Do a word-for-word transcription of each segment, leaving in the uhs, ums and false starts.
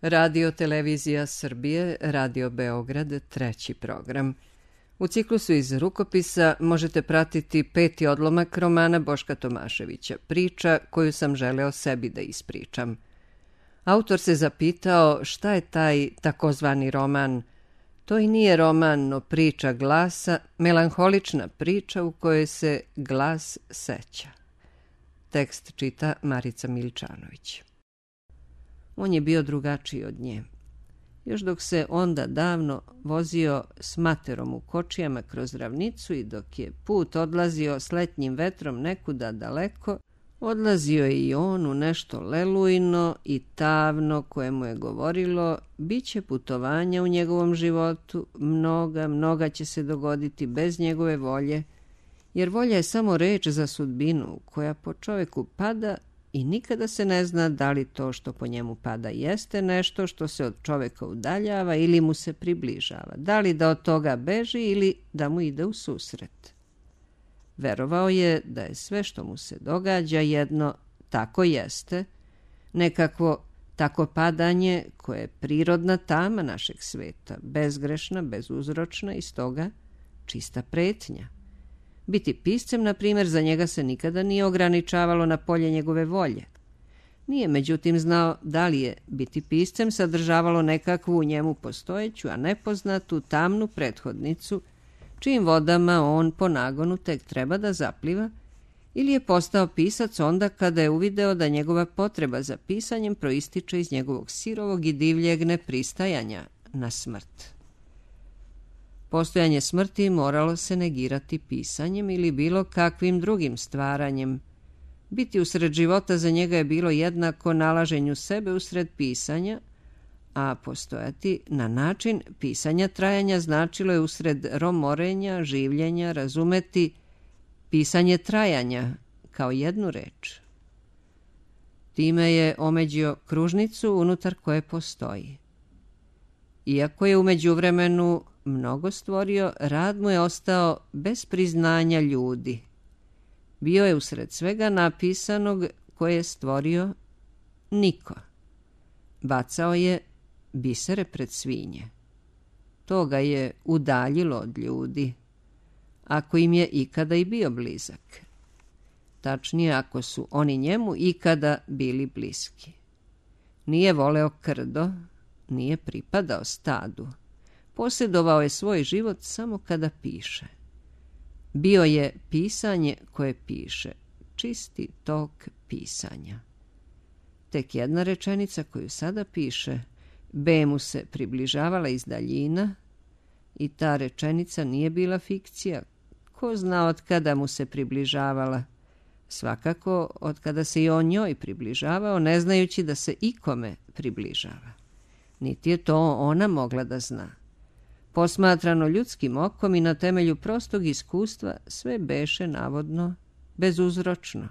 Radio Televizija Srbije, Radio Beograd, treći program. U ciklusu iz rukopisa možete pratiti peti odlomak romana Boška Tomaševića, Priča koju sam želeo sebi da ispričam. Autor se zapitao šta je taj takozvani roman. To i nije roman, no priča glasa, melanholična priča u kojoj se glas seća. Tekst čita Marica Miličanović. On je bio drugačiji od nje. Još dok se onda davno vozio s materom u kočijama kroz ravnicu i dok je put odlazio s letnjim vetrom nekuda daleko, odlazio je i on u nešto lelujno i tavno koje mu je govorilo bit će putovanja u njegovom životu, mnoga, mnoga će se dogoditi bez njegove volje, jer volja je samo reč za sudbinu koja po čoveku pada i nikada se ne zna da li to što po njemu pada jeste nešto što se od čoveka udaljava ili mu se približava, da li da od toga beži ili da mu ide u susret. Verovao je da je sve što mu se događa jedno tako jeste, nekakvo tako padanje koje je prirodna tama našeg sveta, bezgrešna, bezuzročna i stoga čista pretnja. Biti piscem, na primjer, za njega se nikada nije ograničavalo na polje njegove volje. Nije, međutim, znao da li je biti piscem sadržavalo nekakvu u njemu postojeću, a nepoznatu, tamnu prethodnicu, čijim vodama on po nagonu tek treba da zapliva, ili je postao pisac onda kada je uvideo da njegova potreba za pisanjem proističe iz njegovog sirovog i divljeg nepristajanja na smrt. Postojanje smrti moralo se negirati pisanjem ili bilo kakvim drugim stvaranjem. Biti usred života za njega je bilo jednako nalaženju sebe usred pisanja, a postojati na način pisanja trajanja značilo je usred romorenja, življenja, razumeti pisanje trajanja kao jednu reč. Time je omeđio kružnicu unutar koje postoji. Iako je u međuvremenu mnogo stvorio, rad mu je ostao bez priznanja ljudi. Bio je usred svega napisanog koje je stvorio niko. Bacao je bisere pred svinje. To ga je udaljilo od ljudi, ako im je ikada i bio blizak. Tačnije, ako su oni njemu ikada bili bliski. Nije voleo krdo, nije pripadao stadu. Posjedovao je svoj život samo kada piše. Bio je pisanje koje piše, čisti tok pisanja. Tek jedna rečenica koju sada piše, B mu se približavala iz daljina i ta rečenica nije bila fikcija. Ko zna od kada mu se približavala? Svakako od kada se i on njoj približavao, ne znajući da se ikome približava. Niti je to ona mogla da zna. Posmatrano ljudskim okom i na temelju prostog iskustva, sve beše navodno bezuzročno.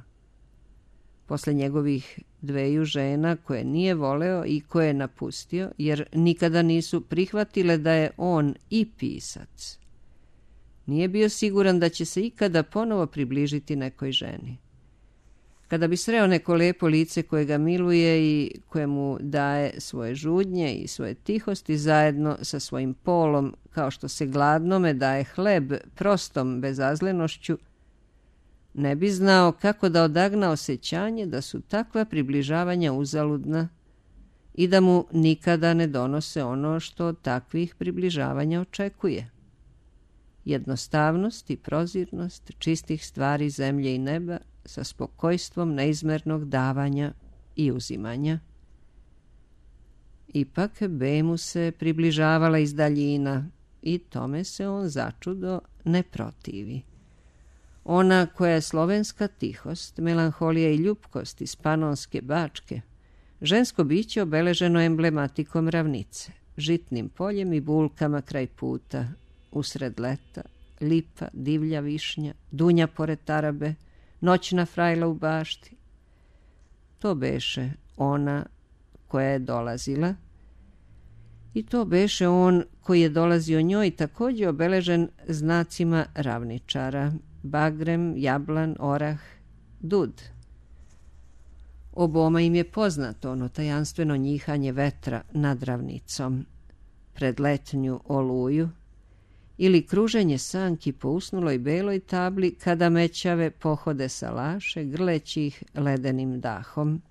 Posle njegovih dveju žena koje nije voleo i koje je napustio, jer nikada nisu prihvatile da je on i pisac, nije bio siguran da će se ikada ponovo približiti nekoj ženi. Kada bi sreo neko lepo lice koje ga miluje i koje mu daje svoje žudnje i svoje tihosti zajedno sa svojim polom, kao što se gladnome daje hleb prostom bezazlenošću, ne bi znao kako da odagna osjećanje da su takva približavanja uzaludna i da mu nikada ne donose ono što od takvih približavanja očekuje. Jednostavnost i prozirnost čistih stvari zemlje i neba sa spokojstvom neizmernog davanja i uzimanja. Ipak B mu se približavala iz daljina i tome se on začudo ne protivi. Ona koja je slovenska tihost, melanholija i ljupkost iz Panonske Bačke, žensko biće obeleženo emblematikom ravnice, žitnim poljem i bulkama kraj puta, usred leta, lipa, divlja višnja, dunja pored tarabe, noćna frajla u bašti. To beše ona koja je dolazila i to beše on koji je dolazio njoj također obeležen znacima ravničara, bagrem, jablan, orah, dud. Oboma im je poznato ono tajanstveno njihanje vetra nad ravnicom pred letnju oluju ili kruženje sanki po usnuloj beloj tabli kada mećave pohode salaše grleći ih ledenim dahom.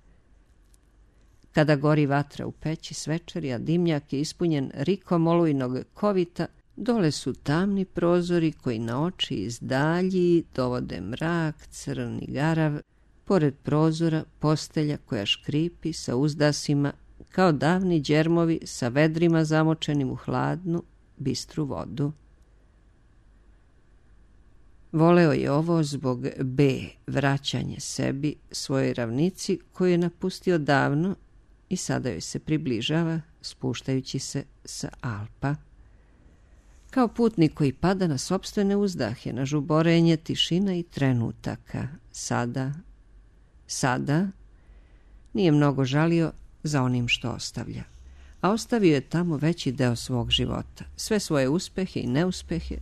Kada gori vatra u peći svečari, a dimnjak je ispunjen rikom olujnog kovita, dole su tamni prozori koji na oči iz dalji dovode mrak, crni garav, pored prozora postelja koja škripi sa uzdasima kao davni đermovi sa vedrima zamočenim u hladnu, bistru vodu. Voleo je ovo zbog B, vraćanje sebi, svojoj ravnici koju je napustio davno i sada joj se približava, spuštajući se sa Alpa. Kao putnik koji pada na sopstvene uzdahe, na žuborenje tišina i trenutaka. Sada, sada, nije mnogo žalio za onim što ostavlja. A ostavio je tamo veći deo svog života, sve svoje uspehe i neuspehe,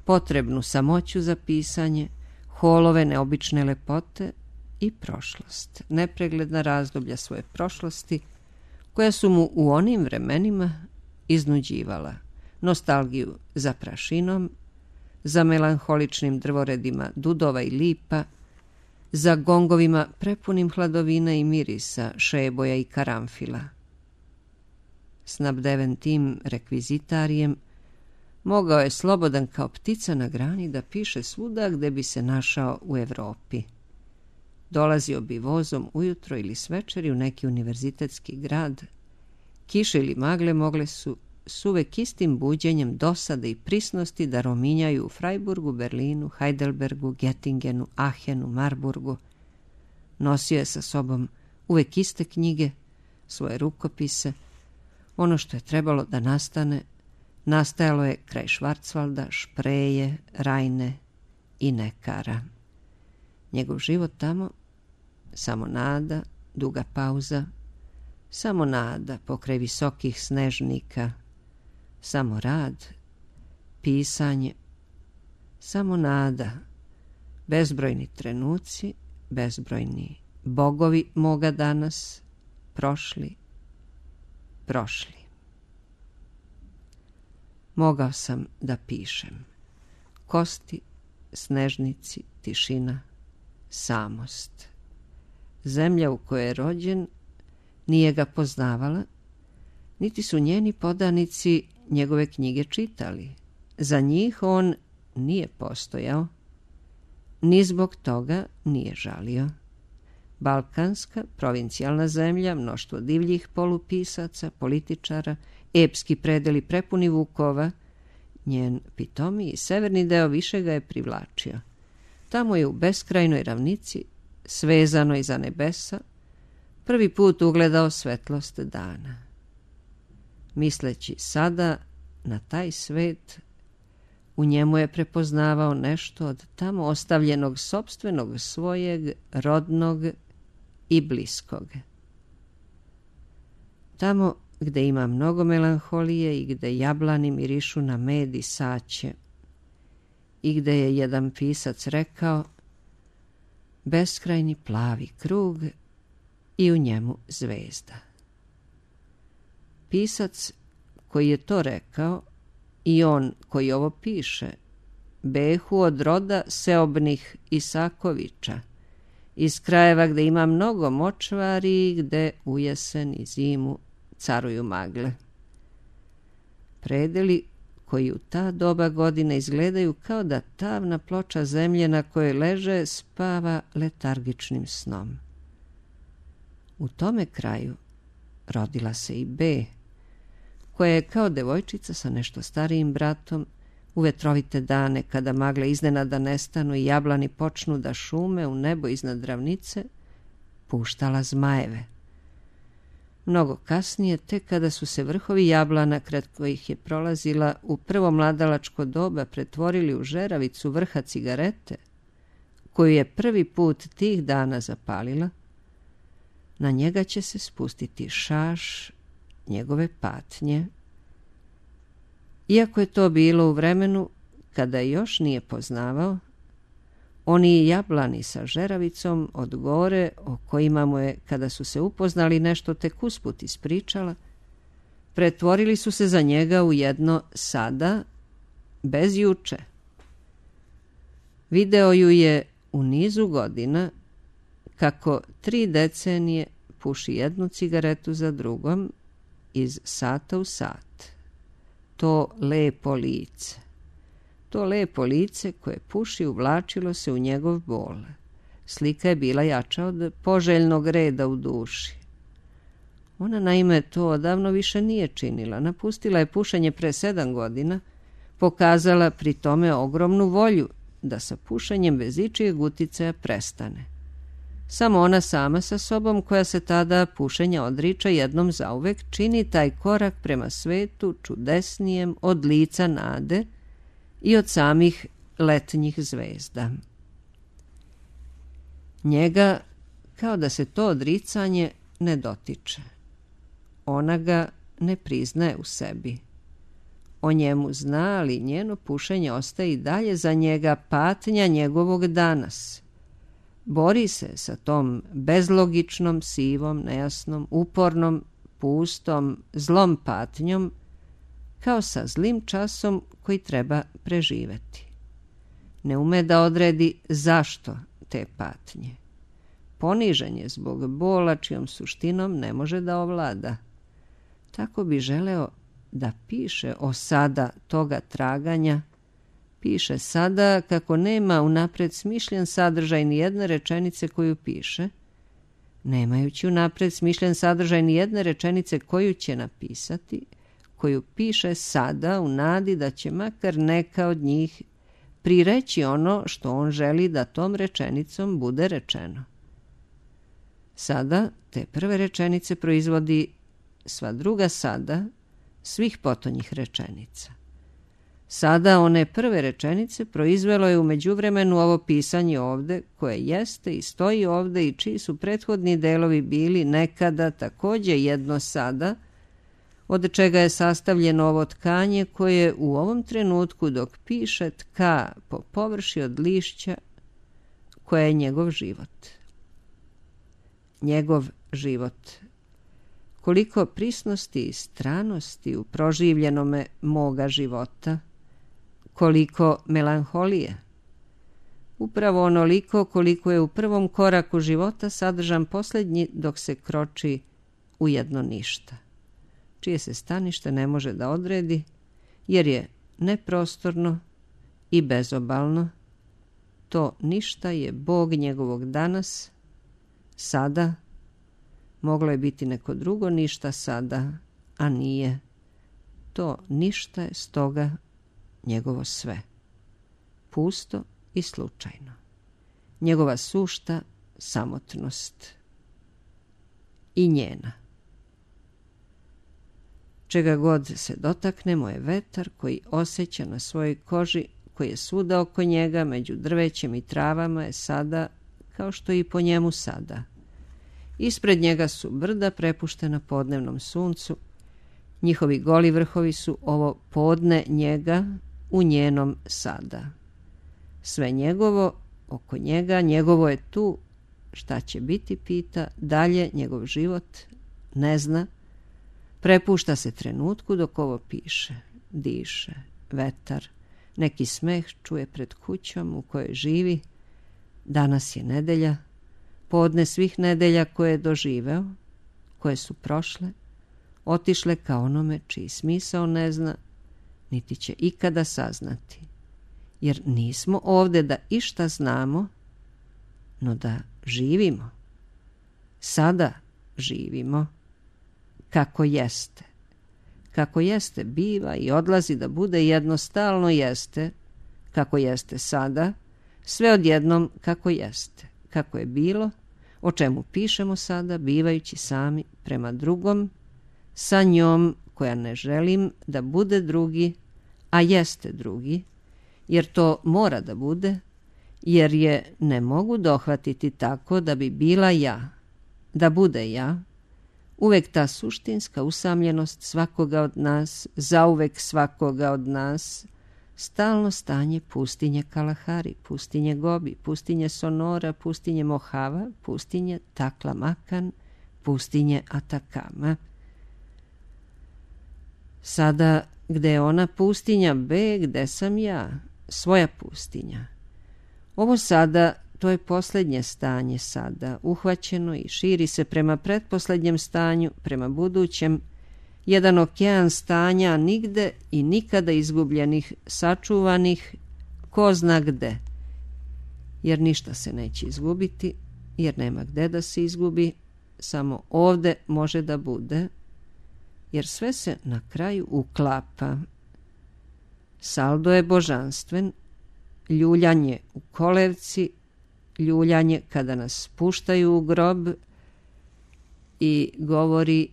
potrebnu samoću za pisanje, holove neobične lepote i prošlost, nepregledna razdoblja svoje prošlosti, koja su mu u onim vremenima iznuđivala, nostalgiju za prašinom, za melanholičnim drvoredima dudova i lipa, za gongovima prepunim hladovina i mirisa, šeboja i karamfila. Snabdeven tim rekvizitarijem, mogao je slobodan kao ptica na grani da piše svuda gde bi se našao u Evropi. Dolazio bi vozom ujutro ili svečeri u neki univerzitetski grad. Kiše ili magle mogle su s uvek istim buđenjem dosade i prisnosti da rominjaju u Freiburgu, Berlinu, Heidelbergu, Gettingenu, Ahenu, Marburgu. Nosio je sa sobom uvek iste knjige, svoje rukopise. Ono što je trebalo da nastane, nastajalo je kraj Švarcvalda, Špreje, Rajne i Nekara. Njegov život tamo, samo nada, duga pauza, samo nada pokraj visokih snežnika, samo rad, pisanje, samo nada, bezbrojni trenuci, bezbrojni bogovi moga danas, prošli, prošli. Mogao sam da pišem. Kosti, snežnici, tišina, samost. Zemlja u kojoj je rođen nije ga poznavala, niti su njeni podanici njegove knjige čitali. Za njih on nije postojao, ni zbog toga nije žalio. Balkanska, provincijalna zemlja, mnoštvo divljih polupisaca, političara, epski predeli prepuni vukova, njen pitomiji severni deo više ga je privlačio. Tamo je u beskrajnoj ravnici, svezanoj za nebesa, prvi put ugledao svetlost dana. Misleći sada na taj svet, u njemu je prepoznavao nešto od tamo ostavljenog sopstvenog svojeg, rodnog i bliskog. Tamo gde ima mnogo melanholije i gde jablani mirišu na med i saće i gde je jedan pisac rekao beskrajni plavi krug i u njemu zvezda. Pisac koji je to rekao i on koji ovo piše behu od roda seobnih Isakovića, iz krajeva gde ima mnogo močvari i gde u jesen i zimu caruju magle. Predeli koji u ta doba godine izgledaju kao da tamna ploča zemlje na kojoj leže spava letargičnim snom. U tome kraju rodila se i B, koja je kao devojčica sa nešto starijim bratom u vetrovite dane kada magle iznenada nestanu i jablani počnu da šume u nebo iznad ravnice, puštala zmajeve. Mnogo kasnije, tek kada su se vrhovi jablana kraj kojih je prolazila u prvo mladalačko doba pretvorili u žeravicu vrha cigarete, koju je prvi put tih dana zapalila, na njega će se spustiti šaš njegove patnje. Iako je to bilo u vremenu kada još nije poznavao, Oni jablani sa žeravicom od gore, o kojima mu je, kada su se upoznali, nešto tek usput ispričala, pretvorili su se za njega u jedno sada, bez juče. Video ju je u nizu godina kako tri decenije puši jednu cigaretu za drugom iz sata u sat. To lepo lice. To lepo lice koje puši uvlačilo se u njegov bol. Slika je bila jača od poželjnog reda u duši. Ona naime to odavno više nije činila. Napustila je pušenje pre sedam godina, pokazala pri tome ogromnu volju da sa pušenjem bez ičijeg uticaja prestane. Samo ona sama sa sobom, koja se tada pušenja odriča jednom zauvek, čini taj korak prema svetu čudesnijem od lica nade i od samih letnjih zvezda. Njega, kao da se to odricanje ne dotiče. Ona ga ne priznaje u sebi. O njemu zna, ali njeno pušenje ostaje i dalje za njega patnja njegovog danas. Bori se sa tom bezlogičnom, sivom, nejasnom, upornom, pustom, zlom patnjom, kao sa zlim časom koji treba preživeti. Ne ume da odredi zašto te patnje. Ponižen je zbog bola čijom suštinom ne može da ovlada. Tako bi želeo da piše o sada toga traganja. Piše sada kako nema unapred smišljen sadržaj ni jedne rečenice koju piše, nemajući unapred smišljen sadržaj ni jedne rečenice koju će napisati, koju piše sada u nadi da će makar neka od njih prireći ono što on želi da tom rečenicom bude rečeno. Sada te prve rečenice proizvodi sva druga sada svih potonjih rečenica. Sada one prve rečenice proizvelo je u međuvremenu ovo pisanje ovde, koje jeste i stoji ovde i čiji su prethodni delovi bili nekada takođe jedno sada, od čega je sastavljeno ovo tkanje koje u ovom trenutku dok piše tka po površi od lišća koje je njegov život. Njegov život. Koliko prisnosti i stranosti u proživljenome moga života, koliko melanholije. Upravo onoliko koliko je u prvom koraku života sadržan posljednji dok se kroči u jedno ništa, čije se stanište ne može da odredi, jer je neprostorno i bezobalno. To ništa je Bog njegovog danas, sada. Moglo je biti neko drugo ništa sada, a nije. To ništa je stoga njegovo sve. Pusto i slučajno. Njegova sušta samotnost. I njena. Čega god se dotaknemo je vetar koji osjeća na svojoj koži, koji je svuda oko njega, među drvećem i travama, je sada kao što i po njemu sada. Ispred njega su brda prepuštena podnevnom suncu. Njihovi goli vrhovi su ovo podne njega u njenom sada. Sve njegovo, oko njega, njegovo je tu. Šta će biti, pita, dalje njegov život, ne zna. Prepušta se trenutku dok ovo piše. Diše, vetar, neki smeh čuje pred kućom u kojoj živi. Danas je nedelja. Podne svih nedelja koje je doživeo, koje su prošle, otišle kao onome čiji smisao ne zna, niti će ikada saznati. Jer nismo ovde da išta znamo, no da živimo. Sada živimo kako jeste. Kako jeste biva i odlazi da bude jednostalno jeste, kako jeste sada, sve odjednom kako jeste. Kako je bilo, o čemu pišemo sada, bivajući sami prema drugom, sa njom koja ne želim da bude drugi, a jeste drugi, jer to mora da bude, jer je ne mogu dohvatiti tako da bi bila ja, da bude ja, uvek ta suštinska usamljenost svakoga od nas, zauvek svakoga od nas, stalno stanje pustinje Kalahari, pustinje Gobi, pustinje Sonora, pustinje Mohava, pustinje Taklamakan, pustinje Atakama. Sada, gde je ona pustinja B, gde sam ja, svoja pustinja. Ovo sada, to je posljednje stanje sada, uhvaćeno i širi se prema pretposlednjem stanju, prema budućem, jedan okean stanja nigde i nikada izgubljenih, sačuvanih, ko zna gde. Jer ništa se neće izgubiti, jer nema gde da se izgubi, samo ovde može da bude, jer sve se na kraju uklapa. Saldo je božanstven, ljuljanje u kolevci, ljuljanje kada nas spuštaju u grob i govori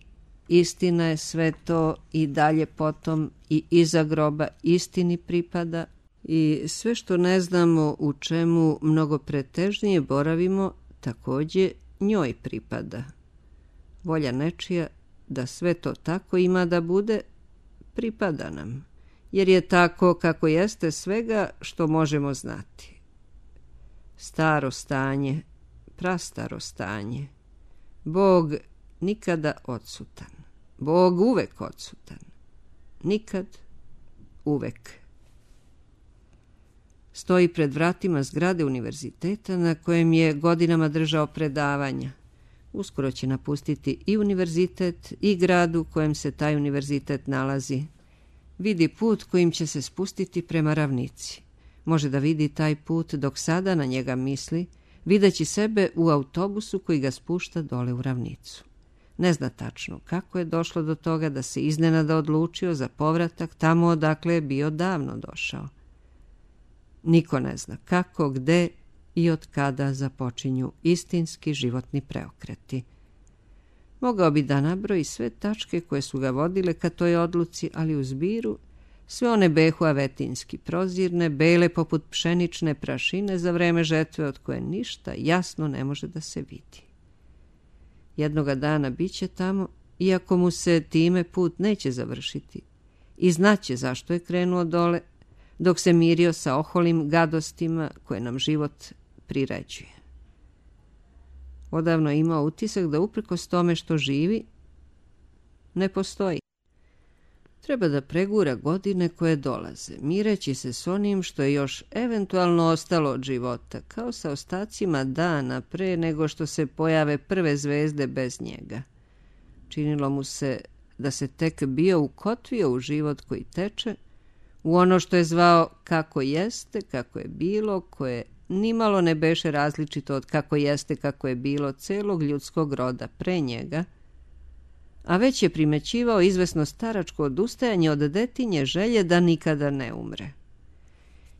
istina je sve to i dalje potom i iza groba istini pripada i sve što ne znamo u čemu mnogo pretežnije boravimo također njoj pripada. Volja nečija da sve to tako ima da bude pripada nam, jer je tako kako jeste svega što možemo znati. Staro stanje, prastaro stanje, Bog nikada odsutan, Bog uvek odsutan, nikad, uvek. Stoji pred vratima zgrade univerziteta na kojem je godinama držao predavanja. Uskoro će napustiti i univerzitet i grad u kojem se taj univerzitet nalazi. Vidi put kojim će se spustiti prema ravnici. Može da vidi taj put dok sada na njega misli, videći sebe u autobusu koji ga spušta dole u ravnicu. Ne zna tačno kako je došlo do toga da se iznenada odlučio za povratak tamo odakle je bio davno došao. Niko ne zna kako, gde i od kada započinju istinski životni preokreti. Mogao bi da nabroji sve tačke koje su ga vodile ka toj odluci, ali u zbiru sve one behu avetinski prozirne, bele poput pšenične prašine za vreme žetve od koje ništa jasno ne može da se vidi. Jednoga dana biće tamo, iako mu se time put neće završiti, i znaće zašto je krenuo dole, dok se mirio sa oholim gadostima koje nam život priređuje. Odavno je imao utisak da uprkos tome što živi, ne postoji. Treba da pregura godine koje dolaze, mireći se s onim što je još eventualno ostalo od života, kao sa ostacima dana pre nego što se pojave prve zvezde bez njega. Činilo mu se da se tek bio ukotvio u život koji teče, u ono što je zvao kako jeste, kako je bilo, koje nimalo ne beše različito od kako jeste, kako je bilo celog ljudskog roda pre njega, a već je primećivao izvesno staračko odustajanje od detinje želje da nikada ne umre.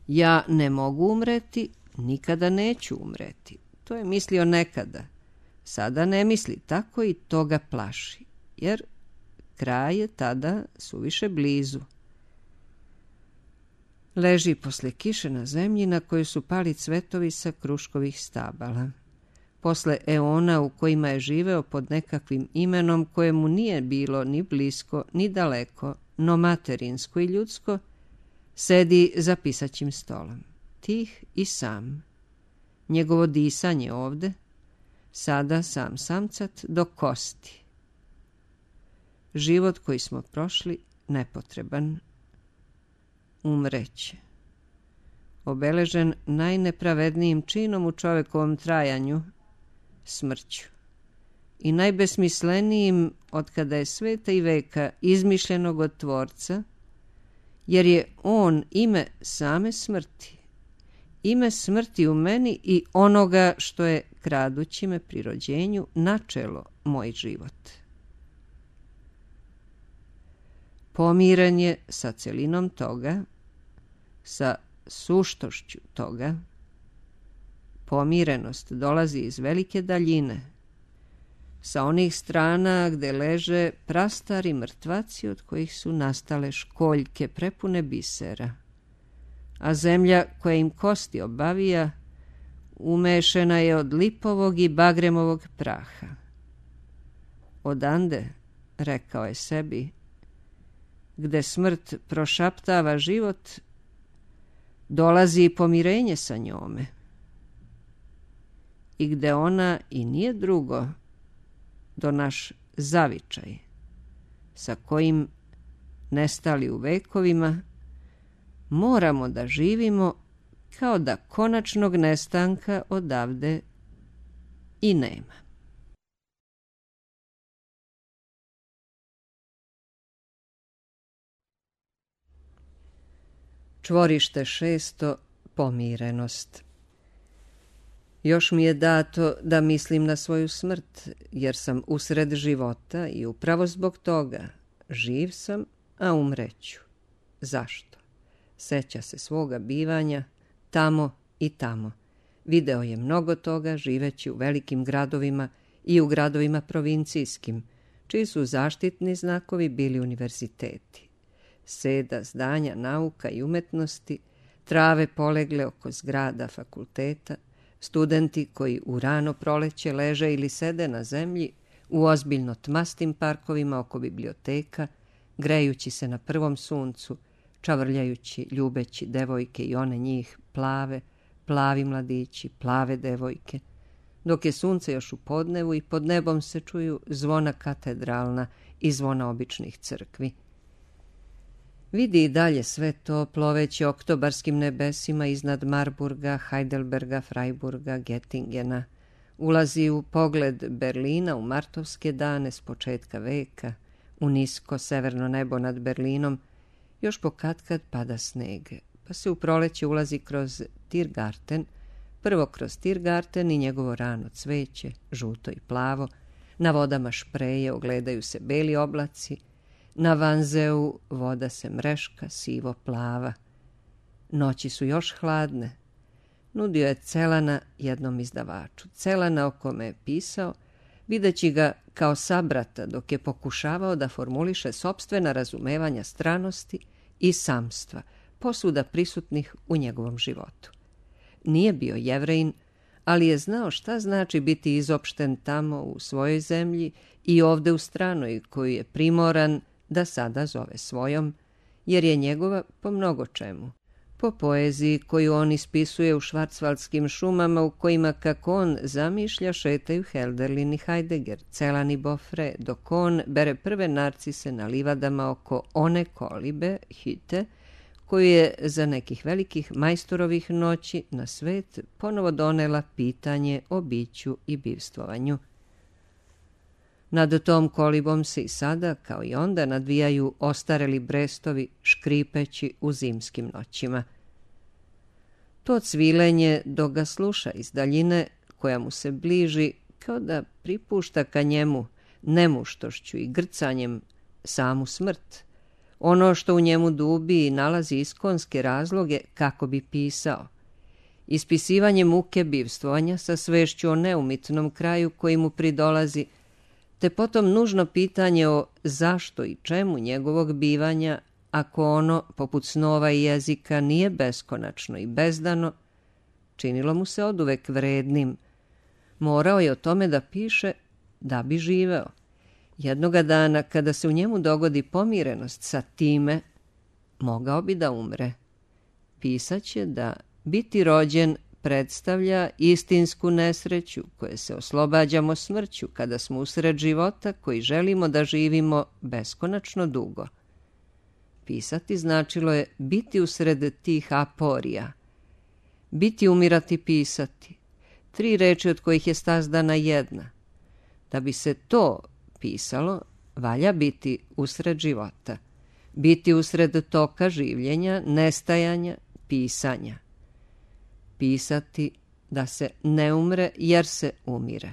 Ja ne mogu umreti, nikada neću umreti. To je mislio nekada. Sada ne misli tako i to ga plaši, jer kraj je tada suviše blizu. Leži posle kiše na zemlji na kojoj su pali cvetovi sa kruškovih stabala. Posle eona u kojima je živeo pod nekakvim imenom koje mu nije bilo ni blisko, ni daleko, no materinsko i ljudsko, sedi za pisaćim stolom, tih i sam. Njegovo disanje ovde, sada sam samcat do kosti. Život koji smo prošli nepotreban, umreće. Obeležen najnepravednijim činom u čovekovom trajanju, smrću. I najbesmislenijim od kada je sveta i veka izmišljenog od Tvorca, jer je on ime same smrti, ime smrti u meni i onoga što je, kradući me pri rođenju, načelo moj život. Pomiren je sa celinom toga, sa suštošću toga. Pomirenost dolazi iz velike daljine, sa onih strana gde leže prastari mrtvaci od kojih su nastale školjke prepune bisera, a zemlja koja im kosti obavija umešena je od lipovog i bagremovog praha. Odande, rekao je sebi, gde smrt prošaptava život, dolazi i pomirenje sa njome. I gde ona i nije drugo do naš zavičaj, sa kojim nestali u vekovima, moramo da živimo kao da konačnog nestanka odavde i nema. Čvorište šesto. Pomirenost. Još mi je dato da mislim na svoju smrt, jer sam usred života i upravo zbog toga živ sam, a umreću. Zašto? Seća se svoga bivanja tamo i tamo. Video je mnogo toga živeći u velikim gradovima i u gradovima provincijskim, čiji su zaštitni znakovi bili univerziteti. Seda, zdanja, nauka i umetnosti, trave polegle oko zgrada fakulteta, studenti koji u rano proleće leže ili sede na zemlji u ozbiljno tmastim parkovima oko biblioteka, grejući se na prvom suncu, čavrljajući, ljubeći devojke i one njih, plave, plavi mladići, plave devojke, dok je sunce još u podnevu i pod nebom se čuju zvona katedralna i zvona običnih crkvi. Vidi i dalje sve to ploveći oktobarskim nebesima iznad Marburga, Heidelberga, Freiburga, Gettingena. Ulazi u pogled Berlina u martovske dane s početka veka, u nisko severno nebo nad Berlinom, još pokatkad pada sneg, pa se u proleće ulazi kroz Tiergarten, prvo kroz Tiergarten i njegovo rano cveće, žuto i plavo, na vodama Špreje ogledaju se beli oblaci, na Vanzeu voda se mreška, sivo plava. Noći su još hladne. Nudio je Celana jednom izdavaču. Celana o kome je pisao, videći ga kao sabrata dok je pokušavao da formuliše sopstvena razumevanja stranosti i samstva, posvuda prisutnih u njegovom životu. Nije bio Jevrejin, ali je znao šta znači biti izopšten tamo u svojoj zemlji i ovde u stranoj koju je primoran da sada zove svojom, jer je njegova po mnogo čemu. Po poeziji koju on ispisuje u švarcvaldskim šumama u kojima, kako on zamišlja, šetaju Hölderlin i Heidegger, Celan i Boffre, dok on bere prve narcise na livadama oko one kolibe, Hütte, koju je za nekih velikih majstorovih noći na svet ponovo donela pitanje o biću i bivstvovanju. Nad tom kolibom se i sada, kao i onda, nadvijaju ostareli brestovi škripeći u zimskim noćima. To cvilenje, dok ga sluša iz daljine, koja mu se bliži, kao da pripušta ka njemu nemuštošću i grcanjem samu smrt, ono što u njemu dubi i nalazi iskonske razloge kako bi pisao. Ispisivanje muke bivstvovanja sa svešću o neumitnom kraju koji mu pridolazi, te potom nužno pitanje o zašto i čemu njegovog bivanja, ako ono, poput snova i jezika, nije beskonačno i bezdano, činilo mu se oduvek vrednim. Morao je o tome da piše da bi živeo. Jednoga dana, kada se u njemu dogodi pomirenost sa time, mogao bi da umre. Pisaće da biti rođen predstavlja istinsku nesreću koje se oslobađamo smrću kada smo usred života koji želimo da živimo beskonačno dugo. Pisati značilo je biti usred tih aporija. Biti, umirati, pisati. Tri reči od kojih je sazdana jedna. Da bi se to pisalo, valja biti usred života. Biti usred toka življenja, nestajanja, pisanja. Pisati da se ne umre jer se umire.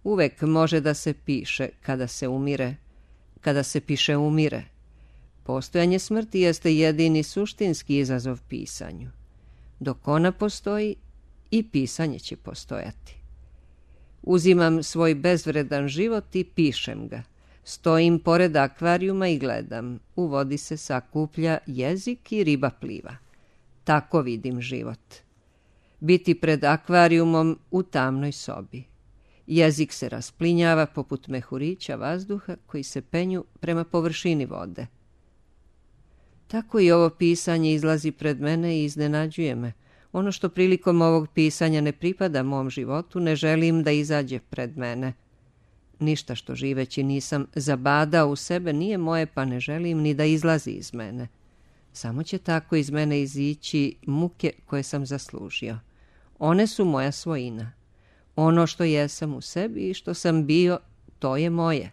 Uvek može da se piše kada se umire, kada se piše umire. Postojanje smrti jeste jedini suštinski izazov pisanju. Dok ona postoji, i pisanje će postojati. Uzimam svoj bezvredan život i pišem ga. Stojim pored akvarijuma i gledam. U vodi se sakuplja jezik i riba pliva. Tako vidim život. Biti pred akvarijumom u tamnoj sobi. Jezik se rasplinjava poput mehurića vazduha koji se penju prema površini vode. Tako i ovo pisanje izlazi pred mene i iznenađuje me. Ono što prilikom ovog pisanja ne pripada mom životu, ne želim da izađe pred mene. Ništa što živeći nisam zabadao u sebe nije moje, pa ne želim ni da izlazi iz mene. Samo će tako iz mene izići muke koje sam zaslužio. One su moja svojina. Ono što jesam u sebi i što sam bio, to je moje.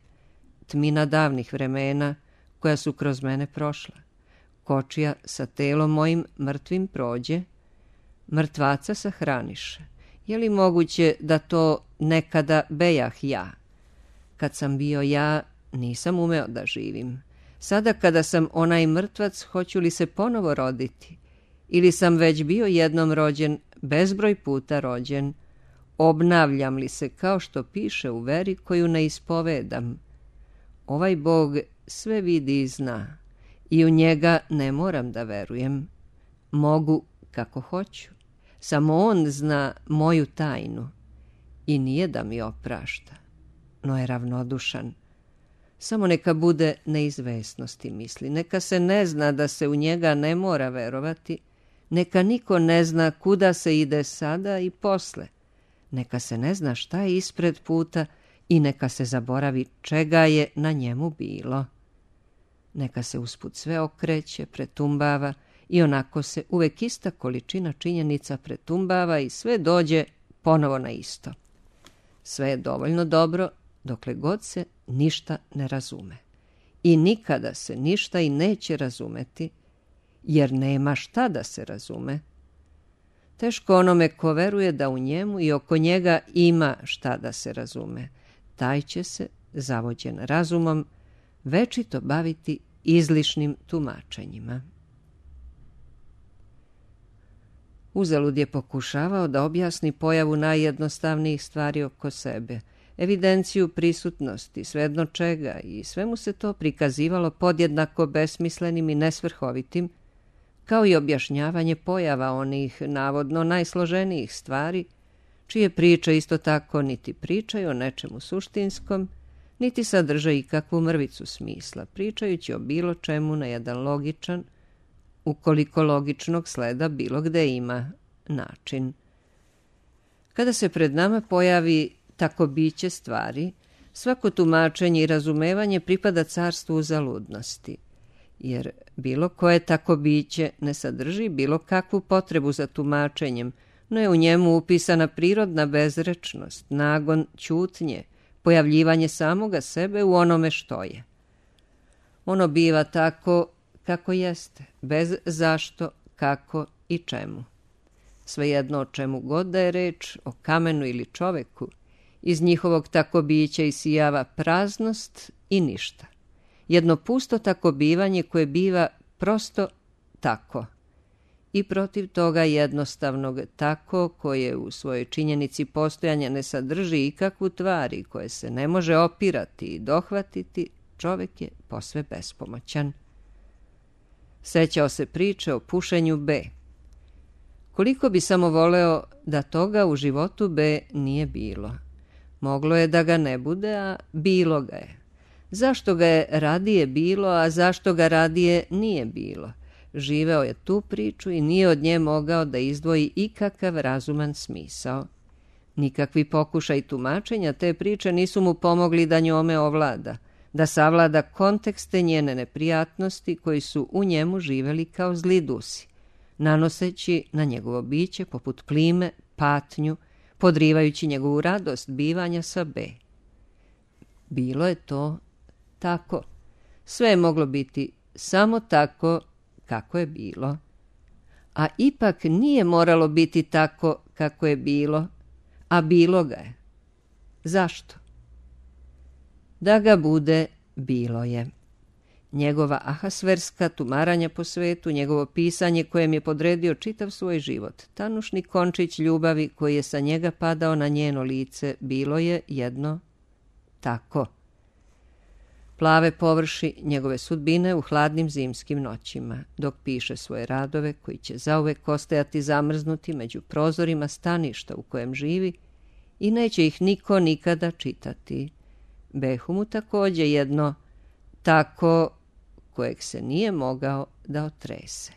Tmina davnih vremena koja su kroz mene prošla. Kočija sa telom mojim mrtvim prođe, mrtvaca sahraniše. Je li moguće da to nekada bejah ja? Kad sam bio ja, nisam umeo da živim. Sada kada sam onaj mrtvac, hoću li se ponovo roditi? Ili sam već bio jednom rođen, bezbroj puta rođen? Obnavljam li se kao što piše u veri koju ne ispovedam? Ovaj Bog sve vidi i zna i u njega ne moram da verujem. Mogu kako hoću. Samo on zna moju tajnu i nije da mi oprašta, no je ravnodušan. Samo neka bude neizvesnosti misli, neka se ne zna da se u njega ne mora verovati, neka niko ne zna kuda se ide sada i posle, neka se ne zna šta je ispred puta i neka se zaboravi čega je na njemu bilo. Neka se usput sve okreće, pretumbava i onako se uvek ista količina činjenica pretumbava i sve dođe ponovo na isto. Sve je dovoljno dobro dokle god se ništa ne razume. I nikada se ništa i neće razumeti, jer nema šta da se razume. Teško onome ko veruje da u njemu i oko njega ima šta da se razume. Taj će se, zavođen razumom, večito baviti izlišnim tumačenjima. Uzalud je pokušavao da objasni pojavu najjednostavnijih stvari oko sebe, evidenciju prisutnosti, svejedno čega, i sve mu se to prikazivalo podjednako besmislenim i nesvrhovitim, kao i objašnjavanje pojava onih navodno najsloženijih stvari, čije priče isto tako niti pričaju o nečemu suštinskom, niti sadrže ikakvu mrvicu smisla, pričajući o bilo čemu na jedan logičan, ukoliko logičnog sleda bilo gde ima, način. Kada se pred nama pojavi tako biće stvari, svako tumačenje i razumevanje pripada carstvu uzaludnosti, jer bilo koje tako biće ne sadrži bilo kakvu potrebu za tumačenjem, no je u njemu upisana prirodna bezrečnost, nagon ćutnje, pojavljivanje samoga sebe u onome što je. Ono biva tako kako jeste, bez zašto, kako i čemu. Svejedno o čemu god da je reč, o kamenu ili čoveku, iz njihovog tako bića isijava praznost i ništa. Jedno pusto tako bivanje koje biva prosto tako. I protiv toga jednostavnog tako koje u svojoj činjenici postojanja ne sadrži ikakvu tvari koje se ne može opirati i dohvatiti, čovek je posve bespomoćan. Sećao se priče o pušenju B. Koliko bi samo voleo da toga u životu B nije bilo. Moglo je da ga ne bude, a bilo ga je. Zašto ga je radije bilo, a zašto ga radije nije bilo? Živeo je tu priču i nije od nje mogao da izdvoji ikakav razuman smisao. Nikakvi pokušaj tumačenja te priče nisu mu pomogli da njome ovlada, da savlada kontekste njene neprijatnosti koji su u njemu živeli kao zli dusi, nanoseći na njegovo biće poput plime, patnju, podrivajući njegovu radost bivanja sa B. Bilo je to tako. Sve je moglo biti samo tako kako je bilo. A ipak nije moralo biti tako kako je bilo, a bilo ga je. Zašto? Da ga bude, bilo je. Njegova ahasverska tumaranja po svetu, njegovo pisanje kojem je podredio čitav svoj život, tanušni končić ljubavi koji je sa njega padao na njeno lice, bilo je jedno tako. Plave površi njegove sudbine u hladnim zimskim noćima, dok piše svoje radove koji će zauvek ostajati zamrznuti među prozorima staništa u kojem živi i neće ih niko nikada čitati. Behu mu takođe jedno tako kojeg se nije mogao da otrese.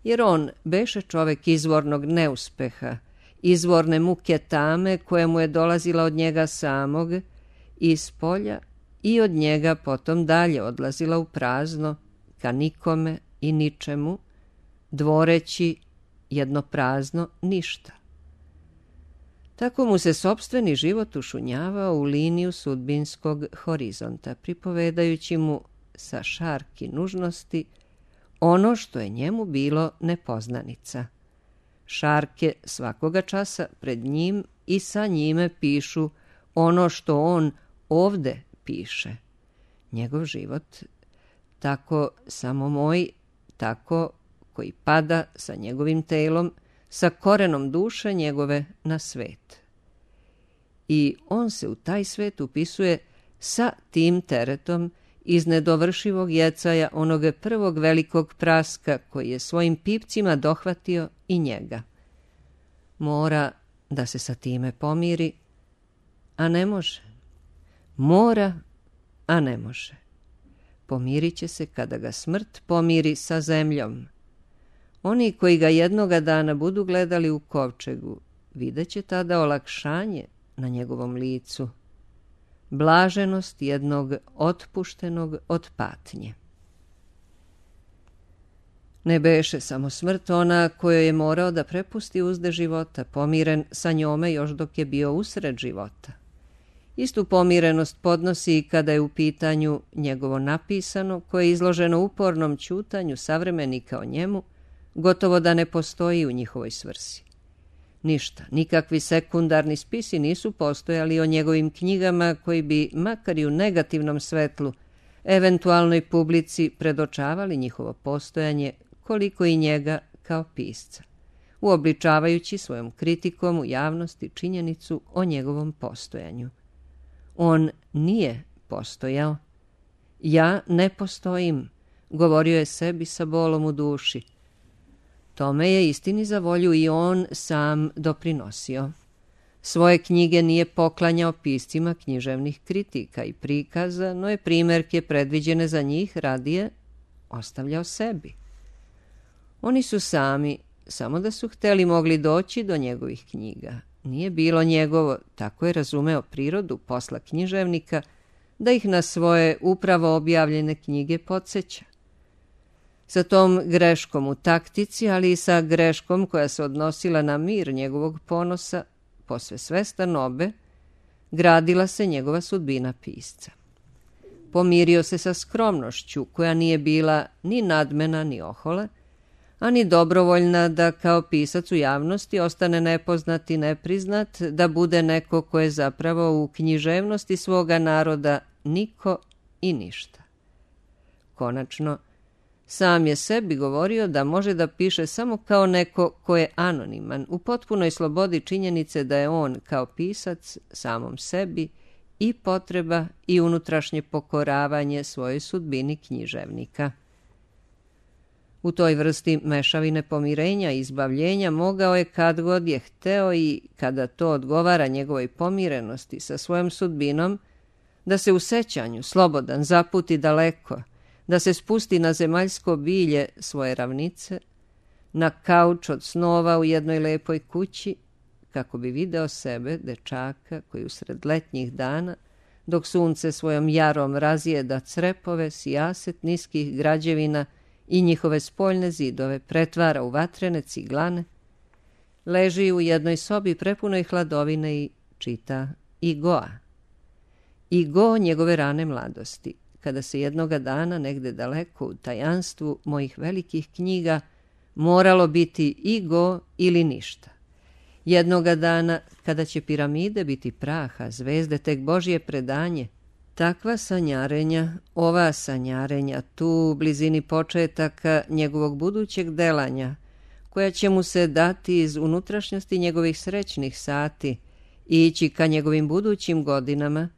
Jer on beše čovek izvornog neuspeha, izvorne muke tame koja mu je dolazila od njega samog iz polja i od njega potom dalje odlazila u prazno, ka nikome i ničemu, dvoreći jedno prazno ništa. Tako mu se sopstveni život ušunjavao u liniju sudbinskog horizonta, pripovedajući mu sa šarki nužnosti ono što je njemu bilo nepoznanica. Šarke svakoga časa pred njim i sa njime pišu ono što on ovde piše. Njegov život, tako samo moj, tako koji pada sa njegovim telom, sa korenom duše njegove na svet. I on se u taj svet upisuje sa tim teretom iz nedovršivog jecaja onog prvog velikog praska koji je svojim pipcima dohvatio i njega. Mora da se sa time pomiri, a ne može. Mora, a ne može. Pomirit će se kada ga smrt pomiri sa zemljom. Oni koji ga jednoga dana budu gledali u kovčegu, vidjet će tada olakšanje na njegovom licu, blaženost jednog otpuštenog od patnje. Ne beše samo smrt ona kojoj je morao da prepusti uzde života, pomiren sa njome još dok je bio usred života. Istu pomirenost podnosi i kada je u pitanju njegovo napisano, koje je izloženo upornom ćutanju savremenika o njemu, gotovo da ne postoji u njihovoj svrsi. Ništa, nikakvi sekundarni spisi nisu postojali o njegovim knjigama koji bi, makar i u negativnom svetlu, eventualnoj publici predočavali njihovo postojanje koliko i njega kao pisca, uobličavajući svojom kritikom u javnosti činjenicu o njegovom postojanju. On nije postojao. Ja ne postojim, govorio je sebi sa bolom u duši. Tome je istini za volju i on sam doprinosio. Svoje knjige nije poklanjao piscima književnih kritika i prikaza, no je primjerke predviđene za njih radije ostavljao sebi. Oni su sami, samo da su hteli, mogli doći do njegovih knjiga. Nije bilo njegovo, tako je razumeo prirodu posla književnika, da ih na svoje upravo objavljene knjige podsjeća. Sa tom greškom u taktici, ali i sa greškom koja se odnosila na mir njegovog ponosa, posve svestan obe, gradila se njegova sudbina pisca. Pomirio se sa skromnošću koja nije bila ni nadmena ni ohola, a ni dobrovoljna da kao pisac u javnosti ostane nepoznat i nepriznat, da bude neko ko je zapravo u književnosti svoga naroda niko i ništa. Konačno, sam je sebi govorio da može da piše samo kao neko ko je anoniman, u potpunoj slobodi činjenice da je on kao pisac samom sebi i potreba i unutrašnje pokoravanje svojoj sudbini književnika. U toj vrsti mešavine pomirenja i izbavljenja mogao je kad god je hteo i kada to odgovara njegovoj pomirenosti sa svojom sudbinom, da se u sećanju slobodan zaputi daleko, da se spusti na zemaljsko bilje svoje ravnice, na kauč od snova u jednoj lepoj kući, kako bi video sebe, dečaka, koji usred letnjih dana, dok sunce svojom jarom razjeda crepove sijaset niskih građevina i njihove spoljne zidove pretvara u vatrene ciglane, leži u jednoj sobi prepunoj hladovine i čita Igoa. Igo njegove rane mladosti, kada se jednoga dana negde daleko u tajanstvu mojih velikih knjiga moralo biti Igo ili ništa. Jednoga dana, kada će piramide biti praha, zvezde tek Božje predanje, takva sanjarenja, ova sanjarenja tu u blizini početaka njegovog budućeg delanja, koja će mu se dati iz unutrašnjosti njegovih srećnih sati i ići ka njegovim budućim godinama,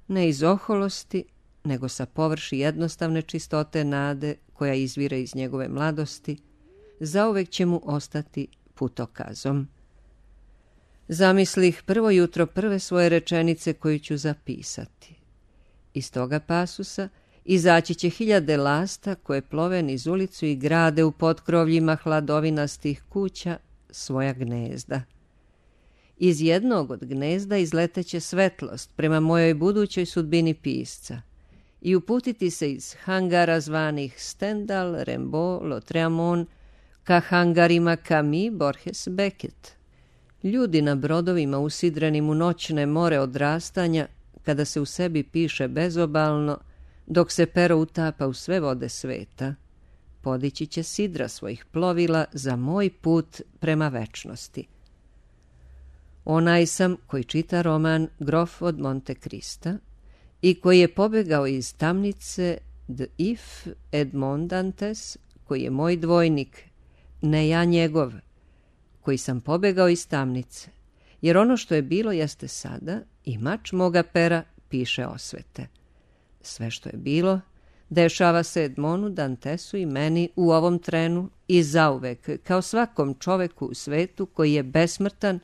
ne iz oholosti, nego sa površi jednostavne čistote nade koja izvire iz njegove mladosti, zauvek će mu ostati putokazom. Zamislih prvo jutro prve svoje rečenice koju ću zapisati. Iz toga pasusa Izaći će hiljade lasta koje plove niz ulicu i grade u potkrovljima hladovinastih kuća svoja gnezda. Iz jednog od gnezda izleteće svetlost prema mojoj budućoj sudbini pisca i uputiti se iz hangara zvanih Stendhal, Rimbaud, Lautréamont ka hangarima Camus, Borges, Beckett. Ljudi na brodovima usidrenim u noćne more odrastanja, kada se u sebi piše bezobalno, dok se pero utapa u sve vode sveta, podići će sidra svojih plovila za moj put prema večnosti. Onaj sam koji čita roman Grof od Monte Crista i koji je pobegao iz tamnice de If Edmond Dantes, koji je moj dvojnik, ne ja njegov, koji sam pobegao iz tamnice, jer ono što je bilo jeste sada i mač moga pera piše osvete. Sve što je bilo dešava se Edmondu Dantesu i meni u ovom trenu i zauvek, kao svakom čoveku u svetu koji je besmrtan